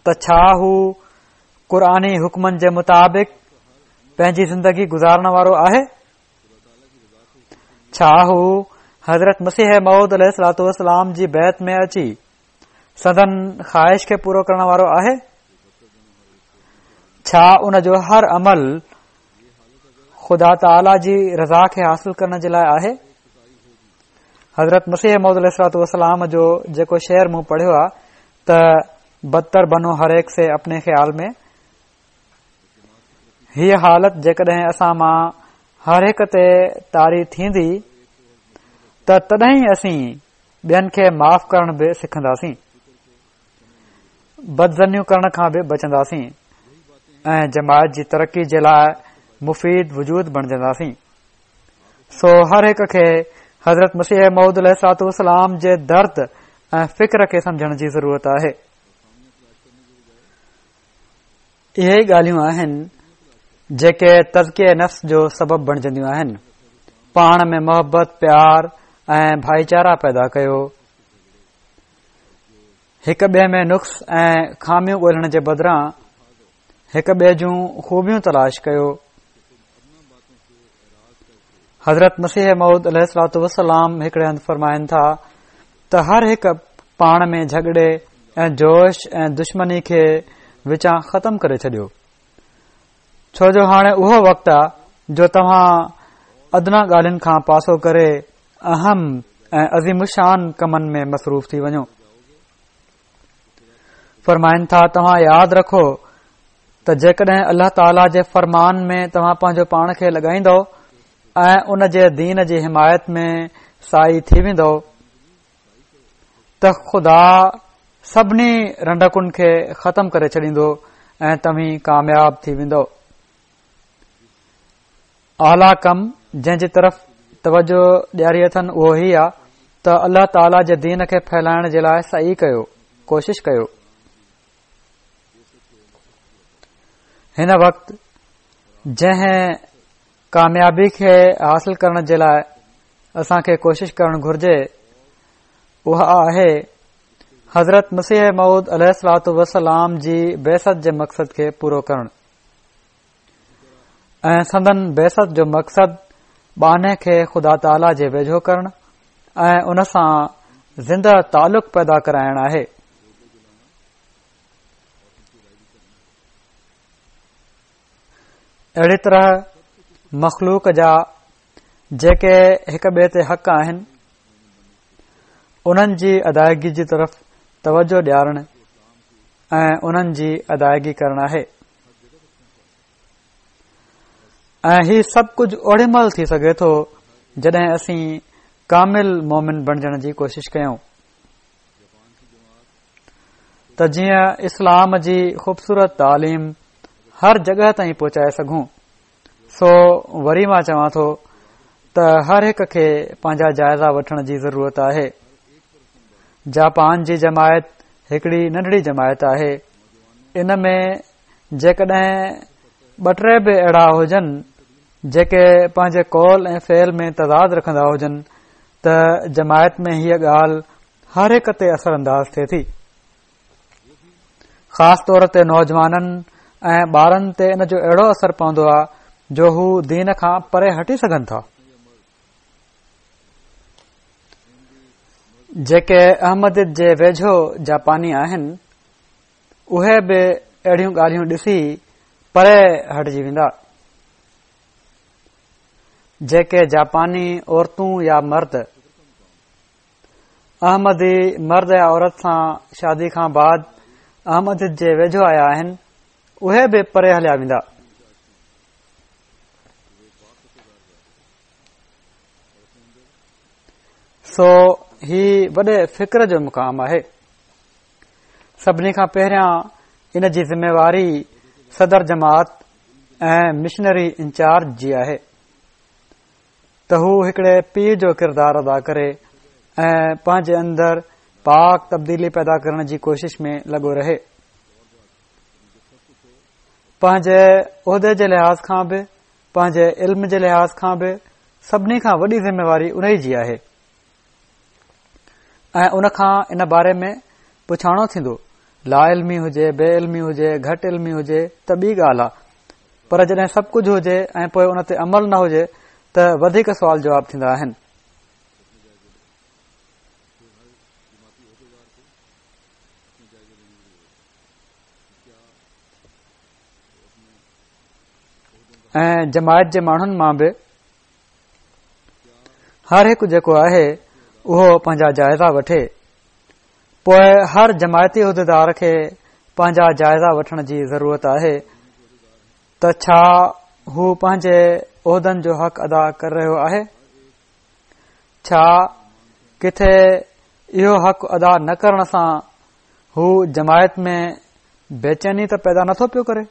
ته ڇا هو قرآني حڪمن جي مطابق پنهنجي زندگي گذارڻ وارو آهي ڇا هو حضرت مسيح موعود عليه الصلوة والسلام جي بيعت ۾ اچي سندن خواهش کي پورو ڪرڻ وارو آهي؟ ڇا ان جو هر عمل خدا تعاليٰ جي رضا کي حاصل ڪرڻ جي لاء آهي؟ حضرت مسيح موعود عليه الصلوة والسلام جو جيڪو شعر مون پڙهيو آهي ته بدتر بنو هر ايڪ سي اپني خيال ۾ هيء حالت جيڪڏهن اسان مان هر هڪ تي طاري ٿيندي ته تڏهن ئي اسين ٻين کي معاف ڪرڻ به سکنداسين، بدظنيون ڪرڻ کان به بچنداسين ۽ جماعت جي ترقي جي لاء مفيد وجود بڻجنداسين. سو هر هڪ کي حضرت مسيح موعود عليه الصلوة والسلام جي درد ۽ فڪر کي سمجهڻ جي ضرورت آهي. اهي ئي ڳالهيون آهن جيڪي تزڪيه نفس جو سبب بڻجنديون آهن. پاڻ ۾ محبت، پيار ۽ ڀائيچارا پيدا ڪيو. هڪ ٻئي ۾ نقص ۽ خاميون ڳولڻ جي بدران هڪ ٻئي جون خوبيون تلاش ڪيو. حضرت مسيح موعود عليه الصلوة والسلام هڪڙي هنڌ فرمائن ٿا ته هر هڪ پاڻ ۾ جهڳڙي ۽ جوش ۽ دشمني کي وچان ختم ڪري ڇڏيو ڇو جو هاڻي اهو وقت آ جو توهان ادنيٰ ڳالهين کان پاسو ڪري اهم ۽ عظيم الشان ڪمن ۾ مصروف ٿي وڃو فرمائن ٿا توهان ياد رکو ته جيڪڏهن الله تعاليٰ جي فرمان ۾ توهان پنهنجو پاڻ کي لڳائيندؤ ۽ ان جي دين جي حمايت ۾ ساعي ٿي ويندؤ ته خدا سڀني رنڊڪن کي ختم ڪري ڇڏيندو ۽ توهين ڪامياب ٿي ويندؤ اعليٰ ڪم جنهن جي طرف توجه ڏياري اٿن اهو هي آ ته الله تعاليٰ جي دين کي ڦهلائڻ جي لاء سعي ڪيو ڪوشش ڪيو هن وقت جنهن ڪاميابي کي حاصل ڪرڻ جي لاء اسان کي ڪوشش ڪرڻ گهرجي اها آهي حضرت مسيح موعود عليه الصلوة والسلام جي بعثت جي مقصد کي پورو ڪرڻ ۽ سندن بعثت جو مقصد ٻانهي کي خدا تعاليٰ جي ويجهو ڪرڻ ۽ ان سان زنده تعلق پيدا ڪرائڻ آهي. اهڙي طرح مخلوق جا جيڪي هڪ ٻئي تي حق آهن، انهن جي ادائگي جي طرف توجه ڏيارڻ ۽ انهن جي ادائگي ڪرڻ آهي ۽ هي سڀ ڪجهه اوڏي مهل ٿي سگهي ٿو جڏهن اسين ڪامل مومن بڻجڻ جي ڪوشش ڪيون ته جيئن اسلام جي خوبصورت تعليم هر جڳهه تائين پهچائي سگهون. سو وري مان چوان ٿو ته هر هڪ کي پنهنجا جائزا وٺڻ جي ضرورت آهي. جاپان جي جماعت هڪڙي ننڍڙي جماعت آهي. ان ۾ جيڪڏهن ٻه ٽي به اهڙا هجن جيڪي پنهنجي قول ۽ فعل ۾ تضاد رکندا هجن ته جماعت ۾ هيء ڳالهه هر هڪ تي اثر انداز ٿئي ٿي. خاص طور تي نوجوانن ۽ ٻارن تي ان جو اهڙو اثر پوندو آهي جو هو دين کان پري هٽي سگهن ٿا. جيڪي احمديت جي ويجهو جاپاني آهن اهي به اهڙيون ڳالهيون ڏسي پري هٽجي ويندا. جيڪي جاپاني عورتون يا مرد احمدي مرد يا عورت سان شادي کان بعد احمديت جي ويجهو آيا آهن اهي به پري هليا ويندا. سو هي وڏي فڪر جو مقام آهي. سڀني کان پهريان ان جي ذميواري صدر جماعت ۽ مشنري انچارج جي آهي. ته هو هڪڙي پيء جو ڪردار ادا ڪري ۽ پنهنجي اندر پاڪ تبديلي پيدا ڪرڻ جي ڪوشش ۾ لڳو رهي. پنهنجي عهدي جي لحاظ کان به پنهنجي علم جي لحاظ کان به سڀني کان وڏي ذميواري انهي جي آهي ۽ ان کان ان باري ۾ پڇاڻو ٿيندو. لا علمي هجي، بي علمي هجي، گهٽ علمي هجي ته ٻي ڳالهه آ پر جڏهن سڀ ڪجهه هجي ۽ پوء ان تي عمل نه هجي ته وڌيڪ سوال جواب ٿيندا آهن. ۽ جماعت جي ماڻهن مان به هر هڪ جيڪو آهي اهو پنهنجا جائزا وٺي پوء هر جماعتي عهديدار کي پنهنجا جائزا وٺڻ جي ضرورت آهي ته ڇا هو پنهنجي عهدن جو حق ادا ڪري رهيو آهي؟ ڇا ڪٿي اهو حق ادا نه ڪرڻ سان هو جماعت ۾ بيچيني ته پيدا نٿو پيو ڪري؟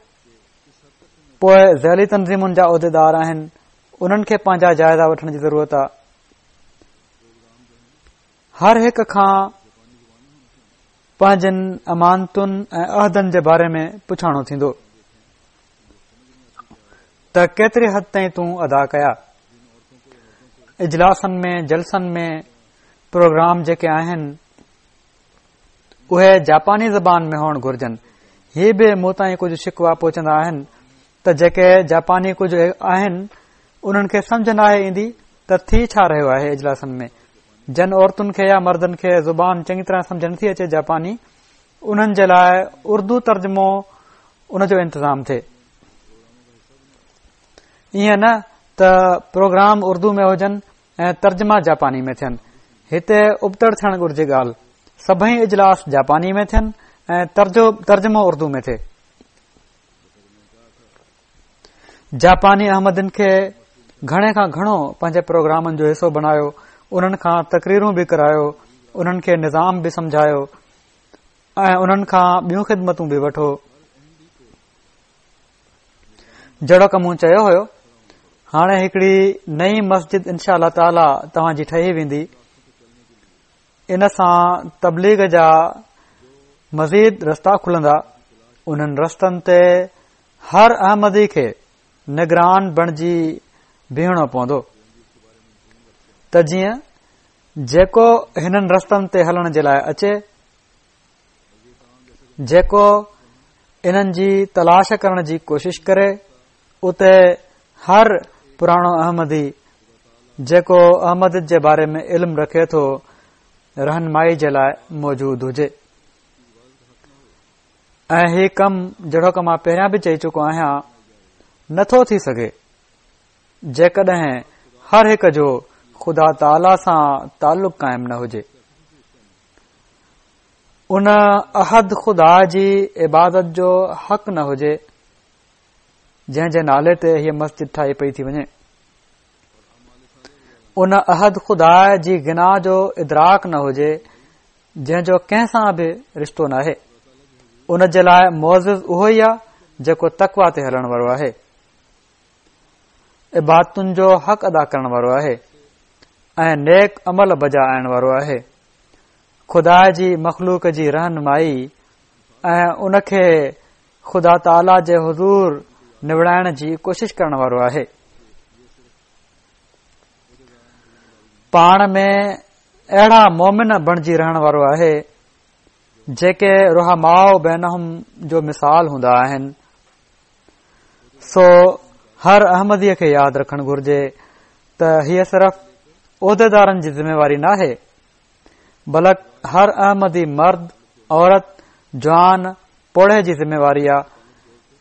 پوء ذيلي تنظيمن جا عهديدار آهن انهن کي پنهنجا جائزا وٺڻ جي ضرورت آهي. هر هڪ کان پنهنجن امانتن ۽ عهدن جي باري ۾ پڇاڻو ٿيندو ته ڪيتري حد تائين تون ادا ڪيا. اجلاسن ۾ جلسن ۾ پروگرام جيڪي آهن اهي جاپاني زبان ۾ هئڻ گهرجن. هي به مون تائين ڪجهه شڪوا پهچندا آهن ته جيڪي جاپاني ڪجهه آهن انهن کي سمجهه ناهي ايندي ته ٿي ڇا رهيو آهي اجلاسن ۾ جن عورتن کي يا مردن کي زبان چڱي طرح سمجهه نٿي اچي جاپاني انهن جي لاء اردو ترجمو ان جو انتظام ٿئي ائين نه ته پروگرام اردو ۾ هجن ۽ ترجما جاپاني ۾ ٿين هتي ابتڙ ٿيڻ گهرجي ڳالهه سڀئي اجلاس جاپاني ۾ ٿين ۽ ترجمو اردو ۾ ٿئي جاپاني احمدين کي گهڻي کان گهڻو پنهنجي پروگرامن جو حصو بڻايو، انهن کان تقريرون به ڪرايو، انهن کي نظام به سمجهايو ۽ انهن کان ٻيون خدمتون به وٺو. جهڙوڪ مون چيو هيو، هاڻي هڪڙي نئين مسجد انشاء الله تعاليٰ توهان جي ٺهي ويندي. ان سان تبليغ جا مزيد رستا کلندا، انهن رستن تي هر احمدي کي نگران بڻجي بيهڻو پوندو ته جيئن جيڪو هنن رستن تي هلڻ جي لاء اچي، جيڪو انهن جي تلاش ڪرڻ جي ڪوشش ڪري، اتي هر پراڻو احمدي جيڪو احمديت جي باري ۾ علم رکي ٿو رهنمائي جي لاء موجود هجي ۽ هي ڪم جهڙوڪ مان پهريان به چئي چڪو آهيان نٿو ٿي سگهي. جيڪڏهن هر هڪ جو خدا تعاليٰ سان تعلق قائم نه هجي. ان احد خدا جي عبادت جو حق نه هجي جنهن جي نالي تي هيء مسجد ٺاهي پئي ٿي وڃي. ان احد خدا جي غنا جو ادراڪ نه هجي جنهن جو ڪنهن سان به رشتو ناهي. ان جي لاء معزز اهو ئي آهي جيڪو تقويٰ تي هلڻ وارو آهي. عبادتن جو حق ادا ڪرڻ وارو آهي ۽ نيڪ عمل بجا آڻڻ وارو آهي. خدا جي مخلوق جي رهنمائي ۽ ان کي خدا تعاليٰ جي حضور نوڙائڻ جي ڪوشش ڪرڻ وارو آهي. پاڻ ۾ اهڙا مومن بڻجي رهڻ وارو آهي جيڪي رحماء بينهم جو مثال هوندا آهن. سو هر احمديء کي ياد رکڻ گهرجي ته هيء صرف عهديدارن جي ذميواري ناهي بلڪ هر احمدي مرد، عورت، جوان، پوڙهي جي ذميواري آ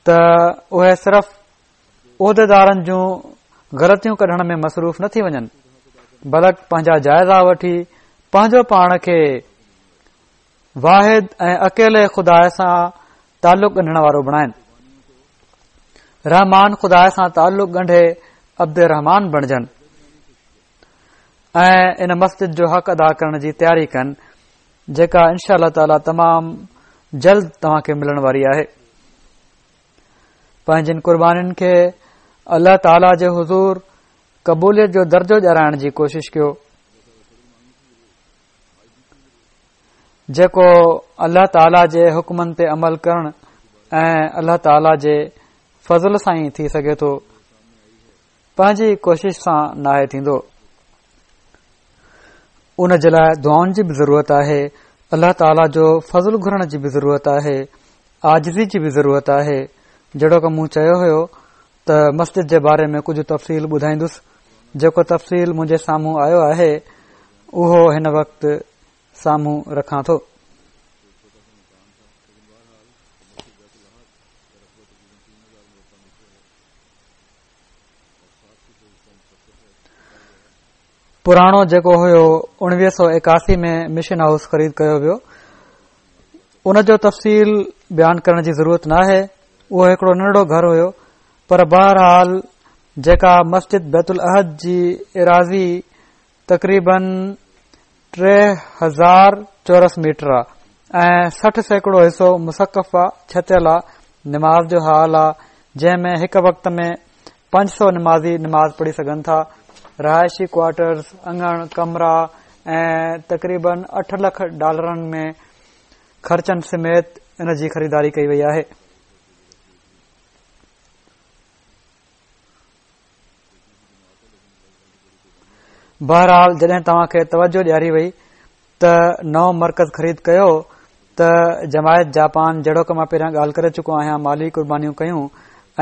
ته اهي صرف عهديدارن جون غلطيون ڪڍڻ ۾ مصروف نه ٿي وڃن بلڪ پنهنجا جائزا وٺي پنهنجو پاڻ کي واحد ۽ اڪيلي خدا سان تعلق ڳنڍڻ وارو بڻائن. رحمان خدا سان تعلق ڳنڍي عبد الرحمان بڻجن ۽ ان مسجد جو حق ادا ڪرڻ جي تياري ڪن جيڪا انشاء الله تعالي تمام جلد توهان کي ملڻ واري آهي. پنهنجين قربانين کي الله تعالي جي حضور قبوليت جو درجو ڏيارائڻ جي ڪوشش ڪيو. جيڪو الله تعاليٰ جي حڪمن تي عمل ڪرڻ ۽ الله تعاليٰ جي فضل سان ئي ٿي سگهي ٿو پنهنجي ڪوشش سان ناهي ٿيندو ان جي لاء دعائن جي به ضرورت آهي الله تعاليٰ جو فضل گهرڻ جي به ضرورت آهي عاجزي جي به ضرورت آهي جهڙوڪ مون چيو هيو ته مسجد جي باري ۾ ڪجهه تفصيل ٻڌائيندس جيڪو تفصيل منهنجي سامهون آيو آهي اهو هن وقت سامهون رکان ٿو. پراڻو جيڪو هيو 1981 ۾ مشن هائوس خريد ڪيو ويو ان جو تفصيل بيان ڪرڻ جي ضرورت ناهي اهو هڪڙو ننڍڙو گهر هيو پر بهرحال جيڪا مسجد بيت الاحد جي ايراضي تقريباً 3000 چورس ميٽر آ ۽ 60% حصو مسقف آ، ڇتيل آ، نماز جو هال آ، جنهن ۾ هڪ وقت ۾ 500 نمازي نماز پڙهي سگهن ٿا، رهائشي ڪوارٽرز، اڱڻ، ڪمرا ۽ تقريباً 8 لک ڊالرن ۾ خرچن سميت ان جي خريداري ڪئي وئي آهي. بهرحال جڏهن توهان کي توجه ڏياري وئي ته نئون مرڪز خريد ڪيو ته جماعت جاپان جهڙوڪ مان پهريان ڳالهه ڪري چڪو آهيان مالي قربانيون ڪيون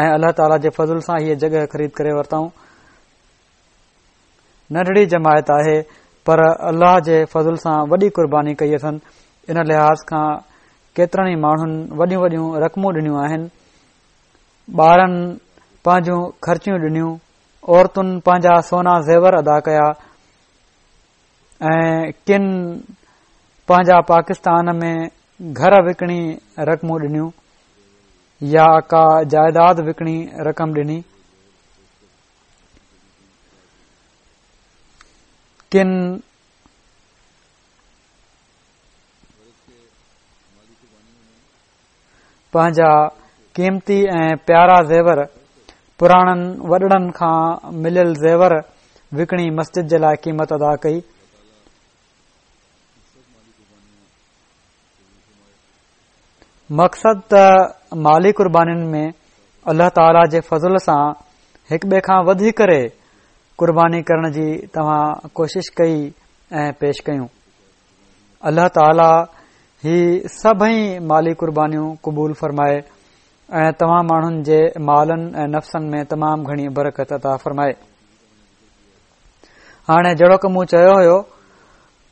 ۽ الله تعاليٰ جي فضل سان هيء جڳهه خريد ڪري ورتائون ننڍڙي جماعت آهي پر الله جي فضل سان وڏي قرباني ڪئي اٿن ان لحاظ کان ڪيترن ئي ماڻهن وڏيون وڏيون رقمون ڏنيون آهن ٻارن پنهنجون خرچيون ڏنيون، عورتن پنهنجا سونا زيور ادا ڪيا ۽ ڪن پنهنجا پاڪستان ۾ گهر وڪڻي رقمون ڏنيون يا ڪا جائيداد وڪڻي رقم ڏني. ڪن پنهنجا قيمتي ۽ پيارا زيور پراڻن وڏڙن کان مليل زيور وڪڻي مسجد جي لاء قيمت ادا ڪئي. مقصد ته مالي قربانين ۾ الله تعاليٰ جي فضل سان هڪ ٻئي کان وڌي ڪري قرباني ڪرڻ جي توهان ڪوشش ڪئي ۽ پيش ڪيون. الله تعاليٰ هي سڀئي مالي قربانيون قبول فرمائي ۽ توهان ماڻهن جي مالن ۽ نفسن ۾ تمام گهڻي برڪت عطا فرمائي. هاڻي جهڙوڪ مون چيو هيو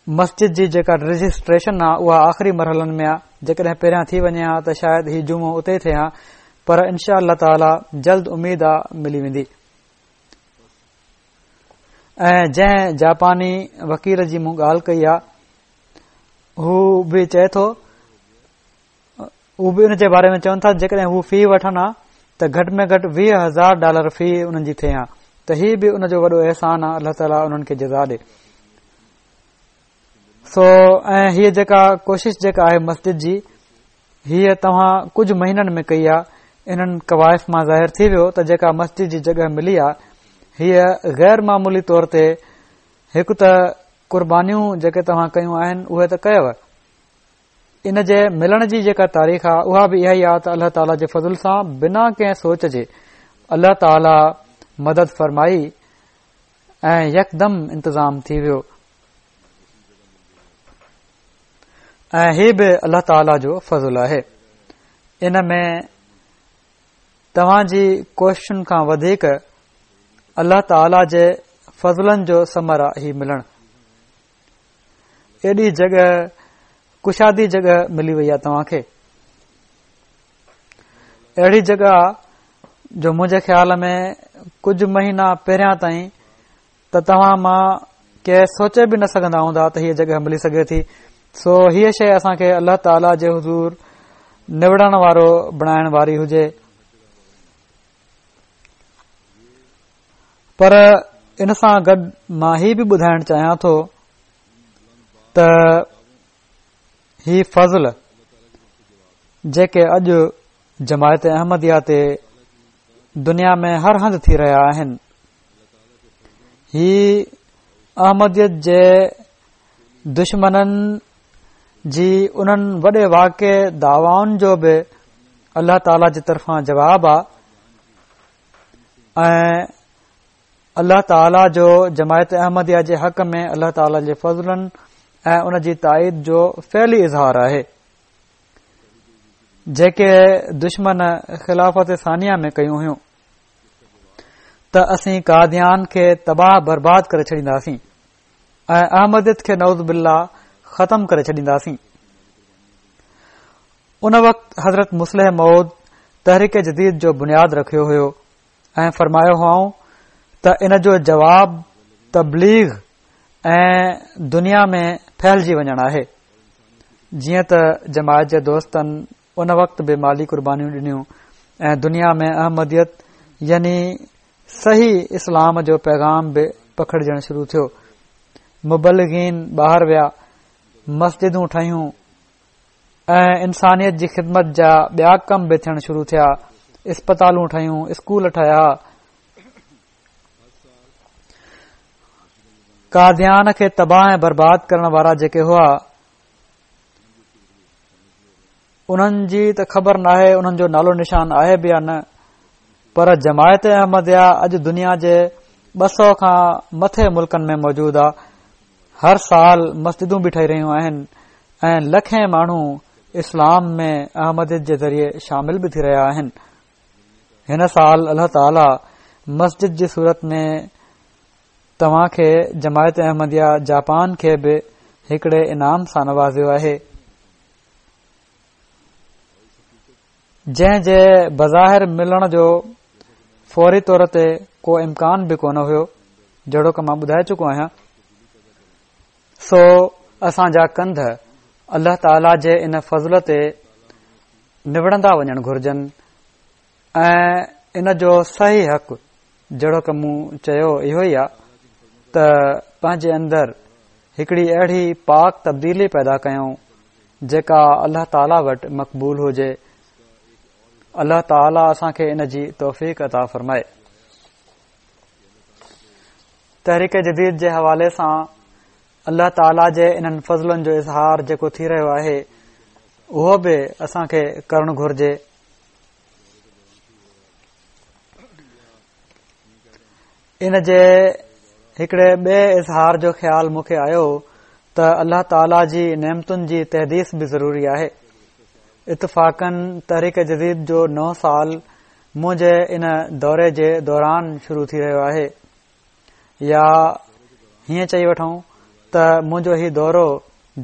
مسجد جي جيڪا رجسٽريشن آ اها آخري مرحلن ۾ آ جيڪڏهن پهريان ٿي وڃي ها ته شايد هي جمعو اتي ئي ٿئي ها پر انشاء الله تعاليٰ جلد اميد آ ملي ويندي. ۽ جنهن جاپاني وڪيل جي مون ڳالهه ڪئي آ، هو به چئي ٿو، هو به ان جي باري ۾ چون ٿا جيڪڏهن هو في وٺن ها ته گهٽ ۾ گهٽ 20,000 ڊالر في انهن جي ٿئي ها ته هي به ان جو وڏو احسان آ، الله تعاليٰ انهن کي جزا ڏي. سو ۽ هيء جيڪا ڪوشش جيڪا آهي مسجد جي، هيء توهان ڪجهه مهينن ۾ ڪئي آ، انهن ڪوائف مان ظاهر ٿي ويو ته جيڪا مسجد جي جڳهه ملي آ، هيء غير معمولي طور تي هڪ ته قربانيون جيڪي توهان ڪيون آهن اهي ته ڪيو، ان جي ملڻ جي جيڪا تاريخ آ اها به اها ئي آ ته الله تعاليٰ جي فضل سان بنا ڪنهن سوچ جي الله تعاليٰ مدد فرمائي ۽ يڪدم انتظام ٿي ويو. ۽ هي به الله تعاليٰ جو فضل آهي. ان ۾ توهان جي ڪوششن کان وڌيڪ الله تعاليٰ جي فضلن جو ثمر آهي هي ملڻ. ايڏي جڳهه، ڪشادي جڳهه ملي وئي آهي توهان کي. اهڙي جڳهه جو منهنجي خيال ۾ ڪجهه مهينا پهريان تائين ته توهان مان ڪي سوچي به نه سگهندا هوندا ته هيء جڳهه ملي سگهي ٿي. سو هيء شيء اسان کي الله تعاليٰ جي حضور نوڙڻ وارو بڻائڻ واري هجي. پر ان سان گڏ مان هي به ٻڌائڻ چاهيان ٿو ته هي فضل جيڪي اڄ جماعت احمديه تي دنيا ۾ هر هنڌ ٿي رهيا آهن، هي احمديت جي دشمنن جي انهن وڏي واڪي دعوائن جو به الله تعاليٰ جي طرفان جواب آ ۽ الله تعاليٰ جو جماعت احمديه جي حق ۾ الله تعاليٰ جي فضلن ۽ ان جي تائيد جو فعلي اظهار آهي جيڪي دشمن خلافت ثانيه ۾ ڪيون هيون. ته اسين قاديان کي تباهه برباد ڪري ڇڏينداسين ۽ احمديت کي نعوذ بالله ختم ڪري ڇڏينداسين. ان وقت حضرت مصلح موعود تحريڪ جديد جو بنياد رکيو هيو ۽ فرمايو هئائون ته ان جو جواب تبليغ ۽ دنيا ۾ ڦهلجي وڃڻ آهي. جيئن ته جماعت جي دوستن ان وقت به مالي قربانيون ڏنيون ۽ دنيا ۾ احمديت يعني صحيح اسلام جو پيغام به پکڙجڻ شروع ٿيو. مبلغين ٻاهر ويا، مسجدون ٺهيون ۽ انسانيت جي خدمت جا ٻيا ڪم به ٿيڻ شروع ٿيا، اسپتالون ٺهيون، اسڪول ٺهيا. قاديان کي تباهه ۽ برباد ڪرڻ وارا جيڪي هئا، انهن جي ته خبر ناهي انهن جو نالو نشان آهي به يا نه پر جماعت احمديه اڄ دنيا جي 200 کان مٿي ملڪن ۾ موجود آ. هر سال مسجدون به ٺهي رهيون آهن ۽ لکين ماڻهو اسلام ۾ احمديت جي ذريعي شامل به ٿي رهيا آهن. هن سال الله تعالي مسجد جي صورت ۾ توهان کي جماعت احمديه جاپان کي به هڪڙي انعام سان نوازيو آهي، جنهن جي بظاهر ملڻ جو فوري طور تي ڪو امڪان به ڪونه هيو، جهڙوڪ مان ٻڌائي چڪو آهيان. سو اسان جا ڪنڌ الله تعاليٰ جي ان فضل تي نوڙندا وڃڻ گهرجن ۽ ان جو صحيح حق جهڙوڪ مون چيو اهو ئي آ ته پنهنجي اندر هڪڙي اهڙي پاڪ تبديلي پيدا ڪيون جيڪا الله تعاليٰ وٽ مقبول هجي. الله تعاليٰ اسان کي ان جي توفيق عطا فرمائي. تحريڪ جديد جي حوالي سان الله تعاليٰ جي انهن فضلن جو اظهار جيڪو ٿي رهيو آهي اهو به اسان کي ڪرڻ گهرجي. ان جي هڪڙي ٻئي اظهار جو خيال مون کي آيو ته الله تعاليٰ جي نعمتن جي تحديث به ضروري آهي. اتفاقاً تحريڪ جديد جو نئون سال منهنجي ان دوري جي دوران شروع ٿي رهيو آهي يا هيئن چئي وٺون ته منهنجو هي دورو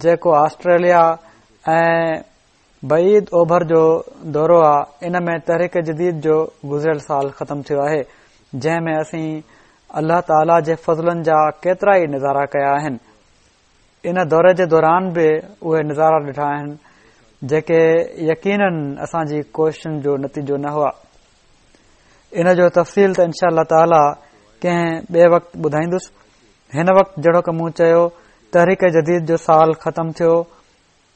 جيڪو آسٽريليا ۽ بعيد اوڀر جو دورو آ ان ۾ تحريڪ جديد جو گذريل سال ختم ٿيو آهي جنهن ۾ اسين الله تعاليٰ جي فضلن جا ڪيترا ئي نظارا ڪيا آهن. ان دوري جي دوران به اهي نظارا ڏٺا آهن جيڪي يقينن اسان جي ڪوششن جو نتيجو نه هئا. ان جو تفصيل ته انشاء الله تعاليٰ ڪنهن ٻئي وقت ٻڌائيندس. هن وقت جهڙوڪ مون چيو تحريڪ جديد جو سال ختم ٿيو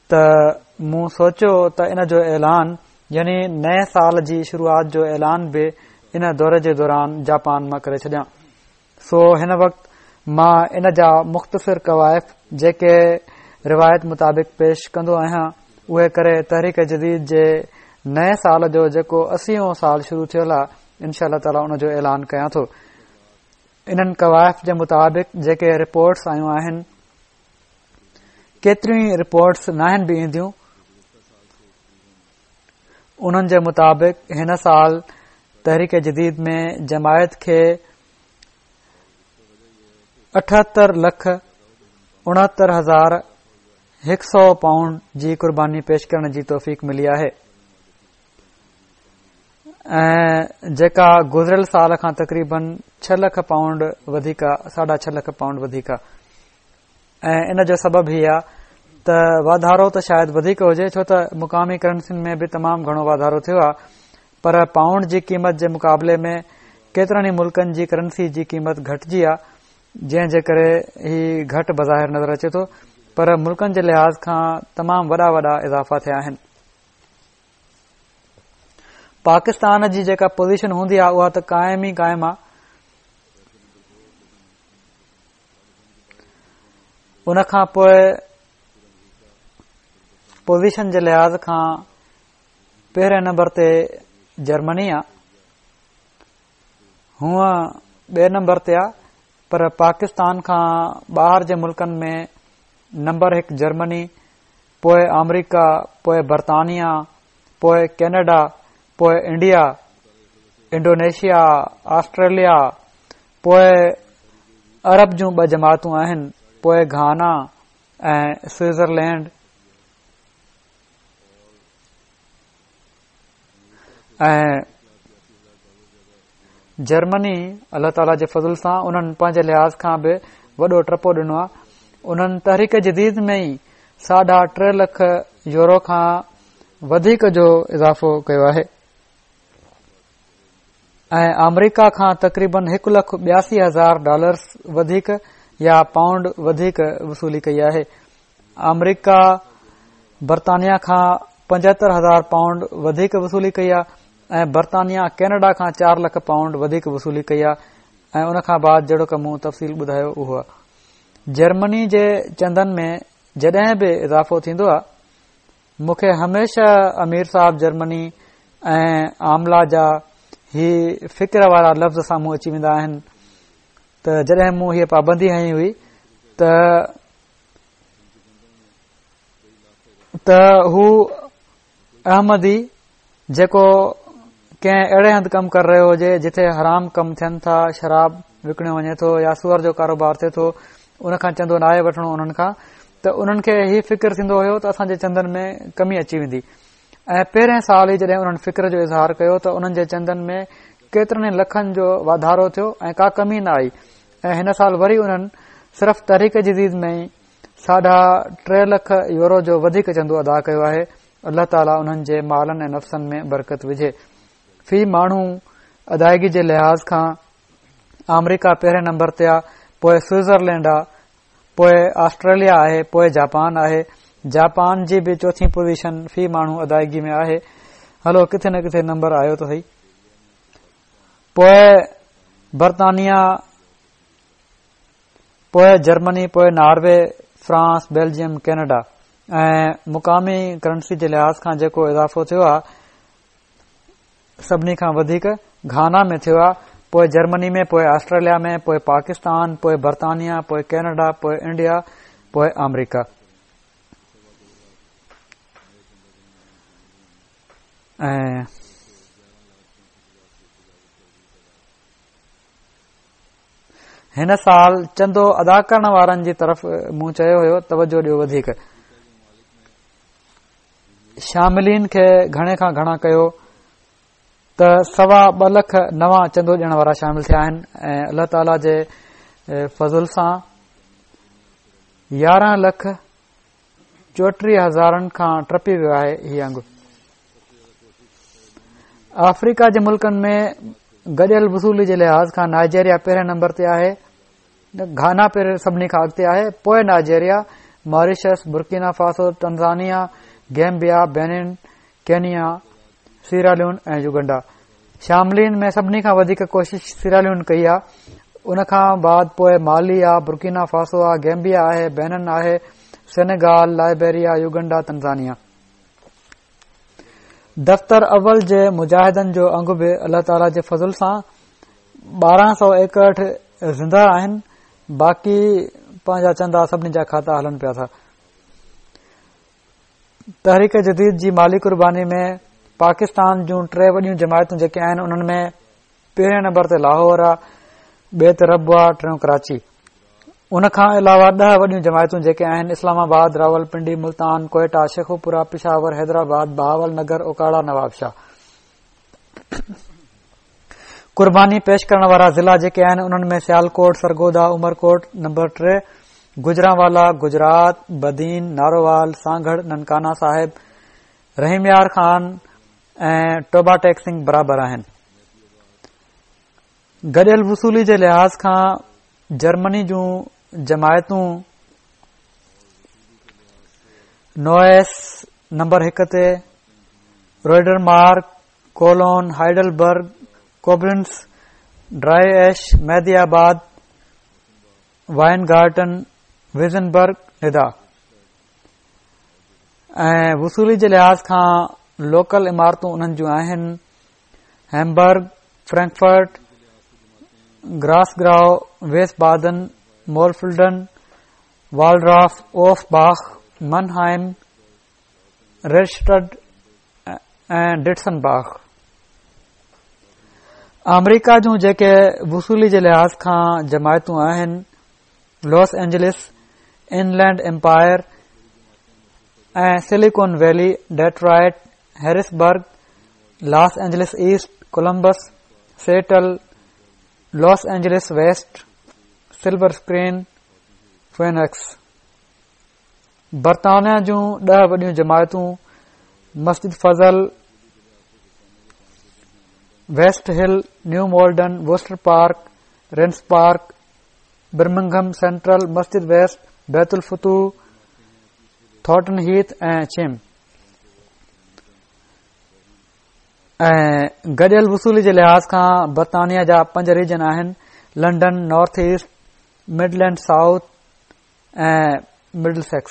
ته مون سوچيو ته ان جو اعلان يعني نئين سال جي شروعات جو اعلان به ان دوري جي دوران جاپان مان ڪري ڇڏيان. سو هن وقت مان ان جا مختصر ڪوائف جيڪي روايت مطابق پيش ڪندو آهيان اهي ڪري تحريڪ جديد جي نئين سال جو جيڪو اسيون سال شروع ٿيل آهي انشاء الله تعاليٰ ان جو اعلان ڪيان ٿو. انهن ڪوائف جي مطابق جيڪي رپورٽس آيون آهن ڪيتريون ئي رپورٽس ناهن به اينديون انهن جي مطابق هن سال تحريڪ جديد ۾ جماعت کي 78 لک 69 هزار 100 پائونڊ جي قرباني پيش ڪرڻ جي توفيق ملي آهي ۽ جيڪا گذريل سال کان تقريبن 6 لک پائونڊ وڌيڪ ساڍا 6 لک پائونڊ وڌيڪ ۽ ان جو سبب هي آهي ته واڌارو ته شايد وڌيڪ هجي ڇو ته مقامي ڪرنسين ۾ به تمام گهڻو واڌارو ٿيو آهي پر پائونڊ جي قيمت جي مقابلي ۾ ڪيترن ئي ملڪن جي ڪرنسي جي قيمت گهٽجي آهي جنهن جي ڪري هي گهٽ بظاهر نظر اچي ٿو پر ملڪن جي لحاظ کان تمام وڏا وڏا اضافا ٿيا آهن. پاڪستان جي جيڪا پوزيشن هوندي آهي اها ته قائم ئي قائم آهي. ان کان پوء پوزيشن جي لحاظ کان پهرين نمبر تي جرمني آ هونء ٻئي نمبر تي آ پر پاڪستان کان ٻاهر جي ملڪن ۾ نمبر هڪ جرمني پوء آمريڪا پوء برطانيا پوء ڪينيڊا پوء انڊيا انڊونيشيا آسٽريليا پوء عرب جون ٻه جماعتون آهن، پوء گهانا ۽ سوئٽزرلينڊ ۽ جرمني الله تعاليٰ جي فضل سان انهن پنهنجي لحاظ کان به وڏو ٽپو ڏنو آهي انهن تحريڪ جديد ۾ ئي ساڍا ٽي لک يورو کان وڌيڪ جو اضافو ڪيو آهي ۽ آمريڪا کان تقريبن هڪ لک 82 هزار ڊالرز وڌيڪ يا پائونڊ وڌيڪ وصولي ڪئي آهي. آمريڪا برطانيا کان 75 هزار پائونڊ وڌيڪ وصولي ڪئي آهي ۽ برطانيا ڪينيڊا کان 4 لک پائونڊ وڌيڪ وصولي ڪئي آهي ۽ ان کان بعد جهڙوڪ مون تفصيل ٻڌايو اهو آهي. جرمني جي چندن ۾ جڏهن به اضافو ٿيندو آهي مون کي هميشه امير صاحب جرمني ۽ عامله جا هي فڪر وارا لفظ سامهون اچي ويندا آهن ته جڏهن مون هيء پابندي هنئي هئي ته هو احمدي جيڪو ڪنهن اهڙي هنڌ ڪم ڪري رهيو هجي جتي حرام ڪم ٿين ٿا، شراب وڪڻيو وڃي ٿو يا سوئر جو ڪاروبار ٿئي ٿو، ان کان چندو ناهي وٺڻو انهن کان ته انهن کي هي فڪر ٿيندو هيو ته اسان جي چندن ۾ ڪمي اچي ويندي ۽ پهرين سال ئي جڏهن انهن فڪر جو اظهار ڪيو ته انهن جي چندن ۾ ڪيترن ئي لکن جو واڌارو ٿيو ۽ ڪا ڪمي نه آئي ۽ هن سال وري انهن صرف تحريڪ جديد ۾ ئي ساڍا ٽي لک يورو جو وڌيڪ چندو ادا ڪيو آهي. الله تعاليٰ انهن جي مالن ۽ نفسن ۾ برڪت وجهي. في ماڻهو ادائگي جي لحاظ کان آمريڪا پهرين نمبر تي آ، پوء سوئٽزرلينڊ آ، پوء آسٽريليا آهي، پوء جاپان آهي. جاپان جي به چوٿين پوزيشن في ماڻهو ادائگي ۾ آهي. هلو ڪٿي نه ڪٿي نمبر آيو ته سهي. پوء برطانيا، پوء جرمني، پوء ناروي، فرانس، بيلجيم، ڪينيڊا ۽ مقامي ڪرنسي جي لحاظ کان جيڪو اضافو ٿيو آهي سڀني کان وڌيڪ گهانا ۾ ٿيو آهي، پوء جرمني ۾، پوء آسٽريليا ۾، پوء پاڪستان، پوء برطانيا، پوء ڪينيڊا، پوء انڊيا، پوء آمريڪا. ۽ هن سال چندو ادا ڪرڻ وارن جي طرف مون چيو هيو توجه ڏيو وڌيڪ شاملين کي گهڻي کان گهڻا ڪيو. ته سوا ٻه لک نوان چندو ڏيڻ وارا شامل ٿيا آهن ۽ الله تعاليٰ جي فضل سان 11 لک 34 هزارن کان ٽپي ويو آهي هي انگ. آفريڪا جي ملڪن ۾ گڏيل وصولي جي لحاظ کان نائجيريا پهرين نمبر تي آهي، گهانا پهرين سڀني کان اڳتي آهي، پوء Nigeria, Mauritius, Burkina Faso, Tanzania, Gambia, Benin, Kenya, Sierra Leone ۽ Uganda. شاملين ۾ سڀني کان وڌيڪ ڪوشش سيراليون ڪئي آهي، ان کان بعد پوء مالي آ، برڪينا فاسو آ، گيمبيا آهي، بينن آهي، سينيگال، لائبيريا، يوگنڊا، تنزانيا. دفتر اول جي مجاهدن جو انگ به الله تعالي جي فضل سان 1261 زنده آهن، باقي پنهنجا چندا سڀني جا کاتا هلن پيا ٿا. تحريڪ جديد جي مالي قرباني ۾ پاڪستان جون ٽي وڏيون جماعتون جيڪي آهن انهن ۾ پهرين نمبر تي لاهور آ، ٻئي تي ربوه، ٽيون ڪراچي. ان کان علاوه 10 وڏيون جماعتون جيڪي آهن اسلام آباد، راولپنڊي، ملتان، ڪوئيٽا، شيخوپورا، پشاور، حيدرآباد، بهاول نگر، اوڪاڙا، نوابشاهه. قرباني پيش ڪرڻ وارا ضلعا جيڪي آهن انهن ۾ سيالڪوٽ، سرگوڌا، عمرڪوٽ، نمبر 3، گجرانوالا، گجرات، بدين، نارووال، سانگهڙ، ننڪانه صاحب، رحيم يار خان ۽ ٽوبا ٽيڪ سنگهه برابر آهن. گڏيل وصولي جي لحاظ کان جرمني جون جماعتون نوئس نمبر 1 تي، روڊرمارڪ، ڪولون، هائيڊلبرگ، ڪوبلنس، ڊرائي ايش، مهدي آباد، وائن گارٽن، ويزنبرگ، ندا ۽ وصولي جي لحاظ کان لوڪل عمارتون انهن جون آهن هيمبرگ، فرينڪفرٽ، گراسگراو، ويس بادن، مولفلڊن، والڊراف، اوف باخ، منهائم، ريڊشٽڊ ۽ ڊٽسن باخ. آمريڪا جون جيڪي وصولي جي لحاظ کان جماعتون آهن Los Angeles, Inland Empire ۽ Silicon Valley, Detroit, Harrisburg, Los Angeles East, Columbus, Seattle, Los Angeles West, Silver Spring, Phoenix. برطانيا جون 10 وڏيون جماعتون Masjid Fazl, West Hill, New Malden, Worcester Park, Regent's Park, Birmingham Central, Masjid West, Bait ul Futuh, Thornton Heath ۽ Cheam ۽ گڏيل وصولي جي لحاظ کان برطانيا جا پنج ريجن آهن London, North East, Midland South ۽ Middlesex.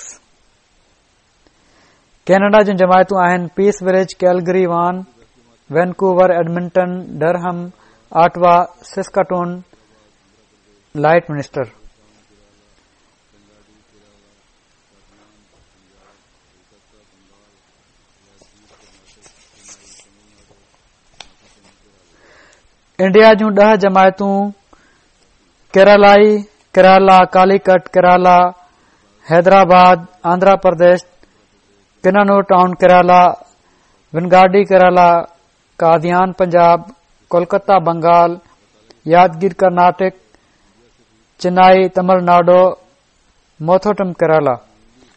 Canada جون جماعتون آهن Peace Village, Calgary, Vaughan, Vancouver, Edmonton, Durham, Ottawa, Saskatoon, Lloydminster. India جون 10 جماعتون ڪيرالائي، ڪيرالا، ڪاليڪٽ، ڪيرالا، حيدرآباد، آندرا پرديش، ڪنانور ٽائون، ڪيرالا، ونگارڊي، ڪيرالا، قاديان، پنجاب، ڪولڪتا، بنگال، يادگير، ڪرناٽڪ، چنائي، تمل ناڊو، موٿوٽم ڪيرالا،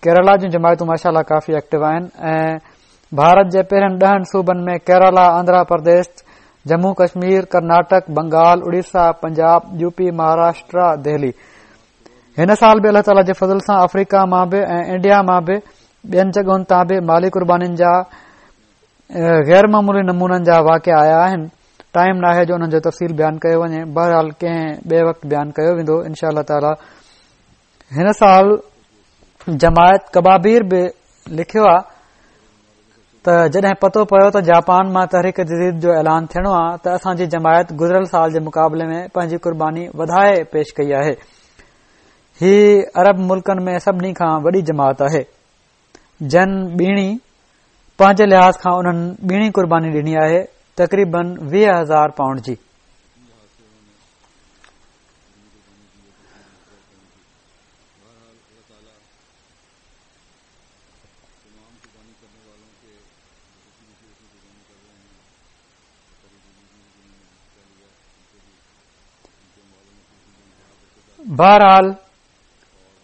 ڪيرالا جون جماعتون ماشاء الله ڪافي ايڪٽو آهن ۽ ڀارت جي پهرين 10 صوبن ۾ ڪيرالا، آندرا پرديش، جمون ڪشمير، ڪرناٽڪ، بنگال، اڙيسا، پنجاب، يوپي، مهاراشٽرا، دهلي. هن سال به الله تعالي جي فضل سان آفريڪا مان به ۽ انڊيا مان به ٻين جڳهن تان به مالي قربانين جا غير معمولي نمونن جا واقعا آيا آهن. ٽائيم ناهي جو انهن جو تفصيل بيان ڪيو وڃي، بهرحال ڪنهن ٻئي وقت بيان ڪيو ويندو انشاء الله تعالي. هن سال جماعت ڪبابير به لکيو آ ته جڏهن پتو پيو ته جاپان مان تحريڪ جديد جو اعلان ٿيڻو آ ته اسان جي جماعت گذريل سال جي مقابلي ۾ پنهنجي قرباني وڌائي پيش ڪئي آهي. هي عرب ملڪن ۾ سڀني کان وڏي جماعت آهي جن ٻيڻي پنهنجي لحاظ کان انهن ٻيڻي قرباني ڏني آهي تقريبن 20,000 پائونڊ جي. بهرحال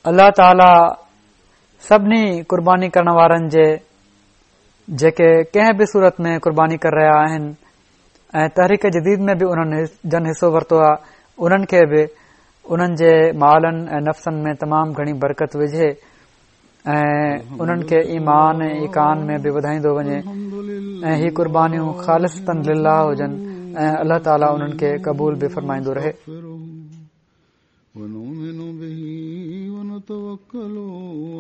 الله تعاليٰ سڀني قرباني ڪرڻ وارن جي جيڪي ڪنهن به صورت ۾ قرباني ڪري رهيا آهن ۽ تحريڪ جديد ۾ به انهن جن حصو ورتو آهي، انهن کي به انهن جي مالن ۽ نفسن ۾ تمام گهڻي برڪت وجهي ۽ انهن کي ايمان ۽ ايقان ۾ به وڌائيندو وڃي ۽ هي قربانيون خالصتاً لله هجن ۽ الله تعاليٰ انهن کي قبول به فرمائيندو رهي. ونؤمن به ونتوڪل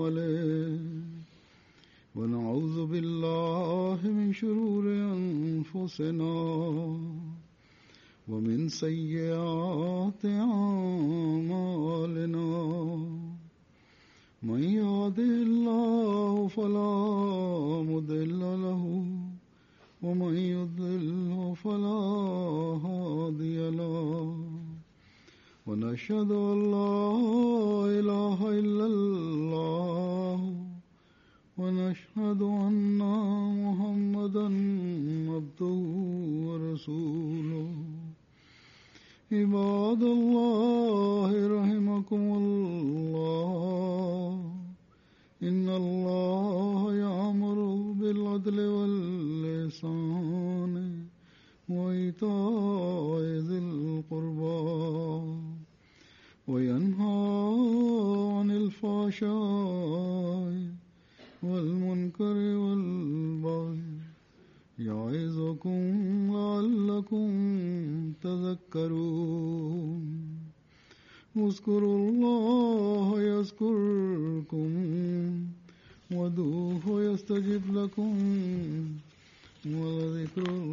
عليه ونعوذ بالله من شرور انفسنا ومن سيئات اعمالنا من يهده الله فلا مضل له ومن يضلل فلا هادي له ونشهد أن لا إله إلا الله ونشهد أن محمدا عبده ورسوله. عباد الله رحمكم الله، إن الله يأمر بالعدل والإحسان وإيتاء ذي القربى وينهى عن الفحشاء والمنكر والبغي يعظكم لعلكم تذكرون. اذكروا الله يذكركم وادعوه يستجب لكم ولذكر الله.